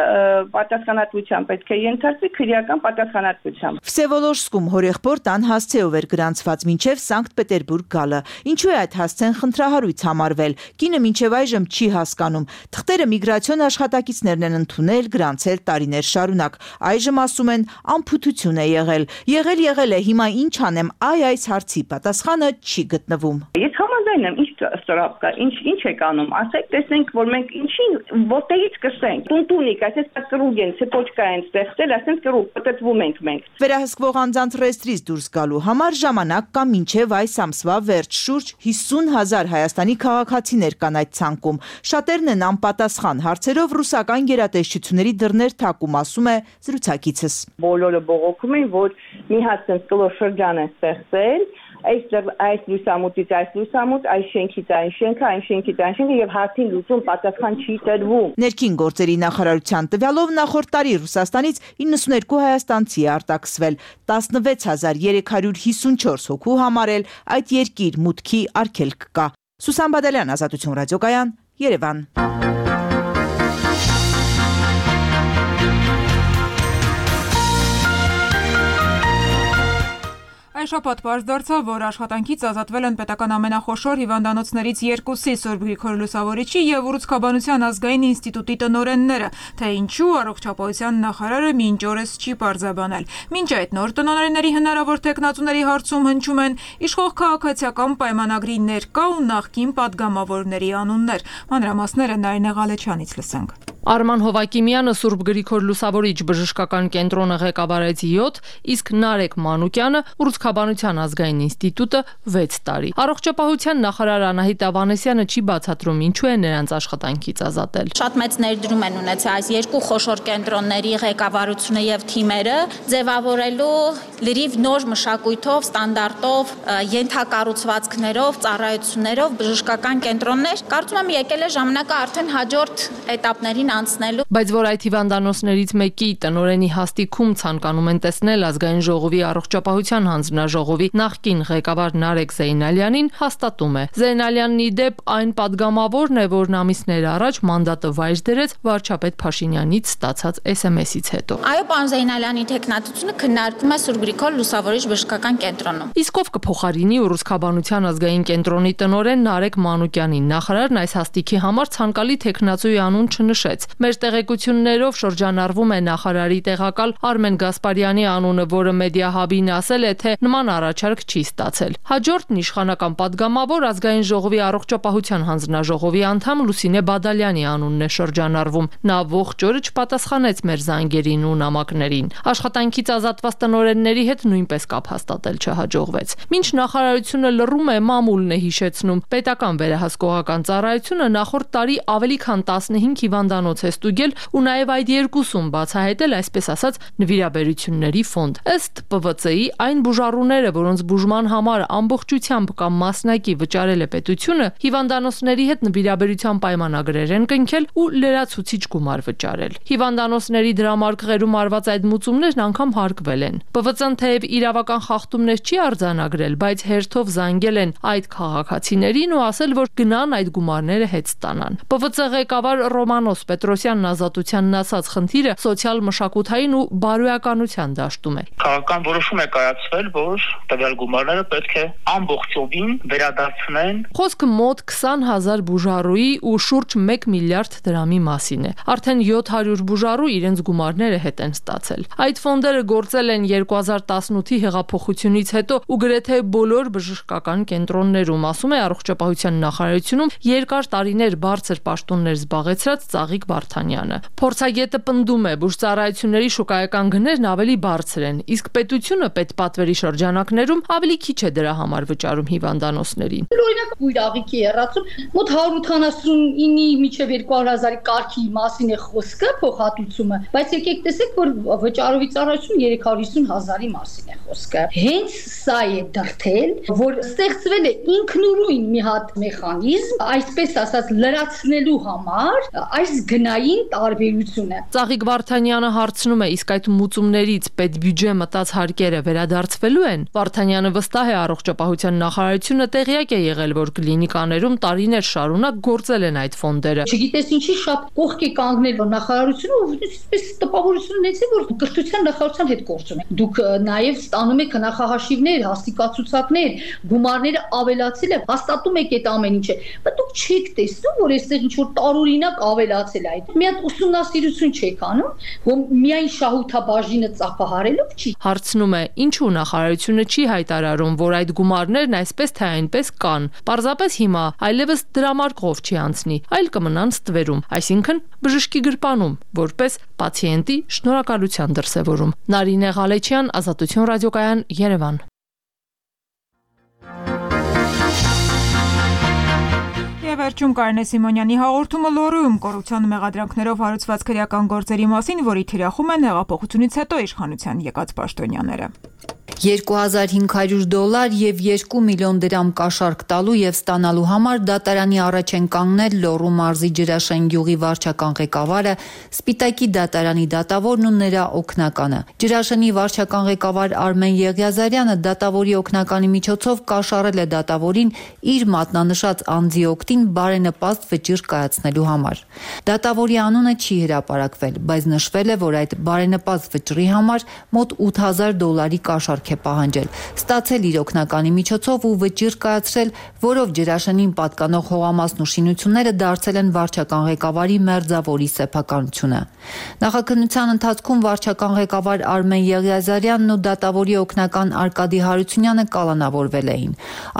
պատասխանատվության պետք է ենթարկվի քրեական պատասխանատվությամբ։ Վսևոլոժսկում հորեղբոր տան հասցեով էր գրանցված մինչև Սանկտ Պետերբուրգ գալը։ Ինչու է այդ հասցեն խնդրահարույց համարվել։ Կինը մինչև այժմ չի հասկանում։ Թղթերը միգրացիոն աշխատակիցներն են ընդունել, գրանցել տարիներ շարունակ։ Այժմ ասում են անփութություն է եղել։ Եղել է, հիմա ինչ անեմ, այս հարցի պատասխանը չի գտնվում։ Ես համաձայն եմ, ինչ ստրապ կա, ինչ եք անում, ասեք, տեսենք, որ մենք ինչին, որտեղից կսենք։ Տունտունիկ, այսպես կրուգ են, ցեպոչկա են ստեղծել, ասենք կրուգ, պատտվում ենք մենք։ Վերահսկվող անձանց ռեեստրից դուրս գալու համար ժամանակ կա մինչև այս ամսվա վերջ, շուրջ 50,000 Հայաստանի քաղաքացիներ կան այդ ցանկում։ Շատերն են անպատասխան հարցերով ռուսական գերատեսչությունների դռներ թակում, ասում է զրուցակիցս։ Բոլորը բողոքում են, որ մի հատ կլոր շրջան է ստեղծել, այս լուսամուտից այս լուսամուտ, այս շենքից այն շենքը, այն շենքից այն շենքը եւ հարցին լուծում պատասխան չի տրվում։ Ներքին գործերի նախարարության տվյալով նախորդ տարի Ռուսաստանից 92 հայաստանցի է արտաքսվել, 16354 հոգու համար էլ այդ երկիր մուտքի արգելք կա։ Սուսան Բադալյան, Ազատություն ռադիոկայան, Երևան։ Այս շաբաթ պարզ դարձավ, որ աշխատանքից ազատվել են պետական ամենախոշոր հիվանդանոցներից երկուսի՝ Սուրբ Գրիգոր Լուսավորիչի եւ Ուռուցքաբանության ազգային ինստիտուտի տնօրենները, թե ինչու առողջապահության նախարարը մինչ օրս չի պարզաբանել։ Մինչ այդ նոր տնօրենների հնարավոր տեխնացուների հարցում հնչում են իշխող քաղաքացիական պայմանագրի ներկա ու նախկին падգամավորների անուններ։ Մանրամասները Նարինե Ղալեչյանից լսենք։ Արման Հովակիմյանը Սուրբ Գրիգոր Լուսավորիչ բժշկական կենտրոնը ղեկավարեց 7, իսկ Նարեկ Մանուկյանը Ուռուցքաբանության ազգային ինստիտուտը 6 տարի։ Առողջապահության նախարար Անահիտ Ավանեսյանը չի բացատրում ինչու է նրանց աշխատանքից ազատել։ Շատ մեծ ներդրում են ունեցել այս երկու խոշոր կենտրոնների ղեկավարությունը եւ թիմերը ձևավորելու լրիվ նոր մշակույթով, ստանդարտով, ենթակառուցվածքներով, ծառայություններով բժշկական կենտրոններ։ Կարծում եմ եկել է ժամանակը արդեն հաջորդ էտապներին անցնելու։ Բայց որ այդ հիվանդանոցներից մեկի տնօրենի հաստիքում ցանկանում են տեսնել ազգային ժողովի առողջապահության հանձնաժողովի նախկին ղեկավար Նարեկ Զեյնալյանին, հաստատում է։ Զեյնալյանն ի դեպ այն падգամավորն է, որն ամիսներ առաջ մանդատը վայր դրեց վարչապետ Փաշինյանից ստացած SMS-ից հետո։ Այո, պարոն Զեյնալյանի թեկնածությունը քննարկվում է Սուրբ Գրիգոր Լուսավորիչ բժշկական կենտրոնում։ Իսկ ով կփոխարինի Ուռուցքաբանության ազգային կենտրոնի տնօրեն Նարեկ Մանուկյանին։ Նախարարն այս հաստիքի համար ցանկալի թեկնածուի անուն չնշեց։ Մեր տեղեկություններով շրջանառվում է նախարարի տեղակալ Արմեն Գասպարյանի անունը, որը Մեդիահաբին ասել է, թե նման առաջարկ չի ստացել։ Հաջորդն իշխանական падգամավոր ազգային ժողովի առողջապահության հանձնաժողովի անդամ Լուսինե Բադալյանի անունն է շրջանառվում։ Նա ողջ օրը չպատասխանեց մեր զանգերին ու նամակներին։ Աշխատանքից ազատված տնօրենների հետ նույնպես կապ հաստատել չհաջողվեց։ Մինչ նախարարությունը լռում է, մամուլն է հիշեցնում։ Պետական վերահսկողական ծառայությունը նախորդ տարի ավելի քան 15 հիվանդանոց է ստուգել ու նաև այդ երկուսում բացահայտել այսպես ասած նվիրաբերությունների ֆոնդ։ Ըստ ՊՎԾ-ի այն բուժառուները, որոնց բուժման համար ամբողջությամբ կամ մասնակի վճարել է պետությունը, հիվանդանոցների հետ նվիրաբերության պայմանագրեր են կնքել ու լրացուցիչ գումար վճարել։ Հիվանդանոցների դրամարկղերում արված այդ մուծումներն անգամ հարկվել են։ ՊՎԾ-ն թեև իրավական խախտումներ չի արձանագրել, բայց հերթով զանգել են այդ քաղաքացիներին ու ասել, որ գնան այդ գումարները հետ ստանան։ ՊՎԾ ղեկավար Ռոմանոս Պետրոսյանն ազատությանն ասած խնդիրը սոցիալ-մշակութային ու բարոյականության դաշտում է։ Քաղաքական որոշում է կայացվել, որ տվյալ գումարները պետք է ամբողջովին վերադարձնեն։ Խոսքը մոտ 20,000 բուժառուի ու շուրջ 1 միլիարդ դրամի մասին է։ Արդեն 700 բուժառու իրենց գումարները հետ են ստացել։ Այդ ֆոնդերը գործել են 2018-ի հեղափոխությունից հետո ու գրեթե բոլոր բժշկական կենտրոններում, ասում է առողջապահության նախարարությունում երկար տարիներ բարձր պաշտոններ զբաղեցրած Ծաղիկ Վարդանյանը։ Փորձագետը պնդում է, բուժծառայությունների շուկայական գներն ավելի բարձր են, իսկ պետությունը պետպատվերի շրջանակներում ավելի քիչ է դրա համար վճարում հիվանդանոցներին։ Օրինակ բույր աղիքի երացում մոտ 189-ի միջև 200,000-ի կարգի մասին է խոսքը, փոխհատուցումը, բայց եկեք տեսեք, որ վճարովի ծառայություն 350,000-ի մասին է խոսքը։ Հենց սա է դրթել, որ ստեղծվել է ինքնուրույն մի հատ մեխանիզմ, այսպես ասած լրացնելու համար այս գնային տարբերությունը։ Ծաղիկ Վարդանյանը հարցնում է, իսկ այդ մուծումներից պետբյուջե մտած հարկերը վերադարձվելու են։ Վարդանյանը վստահ է, առողջապահության նախարարությունը տեղյակ է եղել, որ կլինիկաներում տարիներ շարունակ գործել են այդ ֆոնդերը։ Չգիտես ինչի շատ կողք է կանգնել, որ նախարարությունը այսպես տպավորություն ունեցել, որ կրթության նախարարության հետ գործ ունի։ Դուք նաև ստանում եք նախահաշիվներ, հաստիկացուցակներ, գումարները ավելացել է, հաստատում եք այդ ամեն ինչը, բայց դուք չեք տեսնում, որ այստեղ ինչ որ տարօրինակ ավելացել է այդ։ Մի հատ ուսումնասիրություն չեք անում, որ միայն շահութաբաժինը ծափահարելով չի։ Հարցնում է, ինչու նախարարությունը չի հայտարարում, որ այդ գումարներն այսպես թե այնպես կան։ Պարզապես հիմա այլևս դրամարկղով չի անցնի, այլ կմնան ստվերում, այսինքն բժշկի գրպանում, որպես պացիենտի շնորհակալության դրսևորում։ Նարինե Ղալեչյան, Ազատություն ռադիոկայան, Երևան։ Վերջում Կարինե Սիմոնյանի հաղորդումը լոռում կոռուպցիոն մեղադրանքներով հարուցված քրեական գործերի մասին, որի թիրախում են հեղափոխությունից հետո իշխանության եկած պաշտոնյաները։ $2,500 եւ 2 միլիոն դրամ կաշառք տալու եւ ստանալու համար դատարանի առաջ են կանգնել Լոռու մարզի Ջրաշեն գյուղի վարչական ղեկավարը, Սպիտակի դատարանի դատավորն ու նրա օգնականը։ Ջրաշենի վարչական ղեկավար Արմեն Եղիազարյանը դատավորի օգնականի միջոցով կաշառել է դատավորին իր մատնանշած անձի օգտին բարենպաստ վճիռ կայացնելու համար։ Դատավորի անունը չի հրապարակվել, բայց նշվել է, որ այդ բարենպաստ վճռի համար մոտ $8,000 կաշառք է պահանջել, ստացել իր օգնականի միջոցով ու վճիռ կայացրել, որով Ջրաշենին պատկանող հողամասն ու շինությունները դարձել են վարչական ղեկավարի մերձավորի սեփականությունը։ Նախաքննության ընթացքում վարչական ղեկավար Արմեն Եղիազարյանն ու դատավորի օգնական Արկադի Հարությունյանը կալանավորվել էին։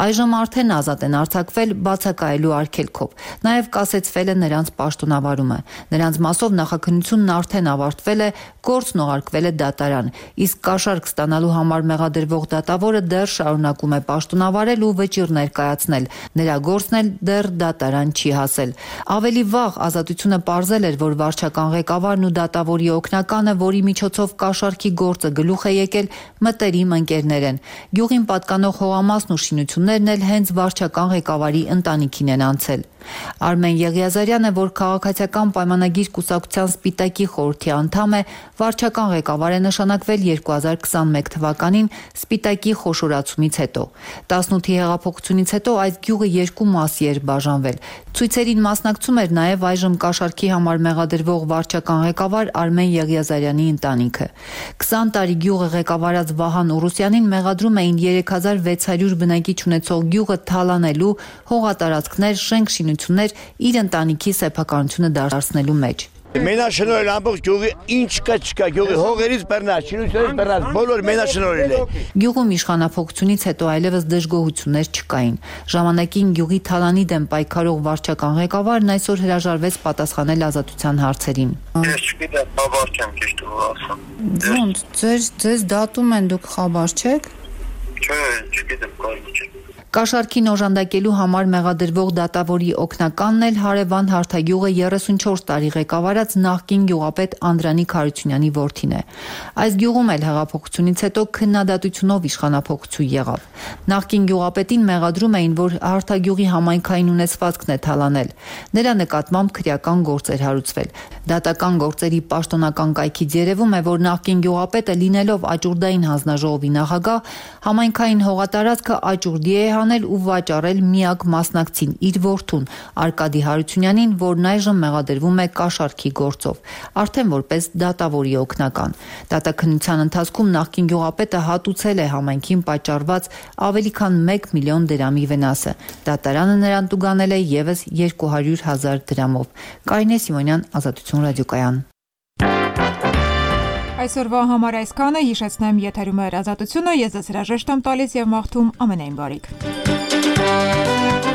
Այժմ արդեն ազատ են արձակվել բացակայելու արգելքով։ Նաև կասեցվել է նրանց պաշտոնավարումը։ Նրանց մասով նախաքննությունն արդեն ավարտվել է, գործն ուղարկվել է դատարան, իսկ կաշառք ստանալու համար մեղադրվող դատավորը դեռ շարունակում է պաշտոնավարել ու վճիռ ներկայացնել։ Նրա գործն էլ դեռ դատարան չի հասել։ Ավելի վաղ Ազատությունը պարզել էր, որ վարչական ղեկավարն ու դատավորի օգնականը, որի միջոցով կաշառքի գործը գլուխ է եկել, մտերիմ ընկերներ են։ Գյուղին պատկանող հողամասն ու շինություններն էլ հենց վարչական ղեկավարի ընտանիքին են անցել։ Արմեն Եղիազարյանը, որ քաղաքացիական պայմանագիր կուսակցության Սպիտակի խորհրդի անդամ է, վարչական ղեկավար է նշանակվել 2021 թվականին Սպիտակի խոշորացումից հետո։ 18-ի հեղափոխությունից հետո այս գյուղը երկու մասի էր բաժանվել։ Ցույցերին մասնակցում էր նաև այժմ կաշառքի համար մեղադրվող վարչական ղեկավար Արմեն Եղիազարյանի ընտանիքը։ 20 տարի գյուղը ղեկավարած Վահան Ուրուսյանին մեղադրում էին 3600 բնակիչ ունեցող գյուղը թալանելու, հողատարածքներ, շենք-շինություններ իր ընտանիքի սեփականությունը դարձնելու մեջ։ Մենաշնորհել ամբողջ գյուղի ինչ կա չկա, գյուղի հողերից բռնած, շինություններից բռնած, բոլոր մենաշնորհել է։ Գյուղում իշխանափոխությունից հետո այլևս դժգոհություններ չկային։ Ժամանակին գյուղի թալանի դեմ պայքարող վարչական ղեկավարն այսօր հրաժարվեց պատասխանել ազատության հարցերին։ Ես չգիտեմ, խաբար չեմ ճիշտ ասեմ։ Ոնց, ձեզ դատում են, դուք խաբար չեք։ Չէ, չգիտեմ, կարելի չէ։ Կաշառքին օժանդակելու համար մեղադրվող դատավորի օգնականն էլ հարևան Հարթագյուղը 34 տարի ղեկավարած նախկին գյուղապետ Անդրանիկ Հարությունյանի որդին է։ Այս գյուղում էլ հեղափոխությունից հետո քննադատությունով իշխանափոխություն եղավ։ Նախկին գյուղապետին մեղադրում էին, որ Հարթագյուղի համայնքային ունեցվածքն է թալանել։ Նրա նկատմամբ քրեական գործ էր հարուցվել։ Դատական գործերի պաշտոնական կայքից երևում է, որ նախկին գյուղապետը լինելով աճուրդային հանձնաժողովի նախագահ, համայնքային հողատարածքը աճուրդի է հանել ու վաճառել միակ մասնակցին իր որդուն Արկադի Հարությունյանին, որն այժմ մեղադրվում է կաշառքի գործով, արդեն որպես դատավորի օգնական։ Դատաքննության ընթացքում նախկին գյուղապետը հատուցել է համայնքին պատճառված ավելի քան 1 միլիոն դրամի վնասը։ Դատարանը նրան տուգանել է ևս 200,000 դրամով։ Կարինե Սիմոնյան, Ազատություն ռադիոկայան։ Այսօրվա համար այսքանը, հիշեցնեմ եթերում է Ազատությունը, ես ձեզ հրաժեշտ եմ տալիս եւ մաղթում ամենայն բարիք։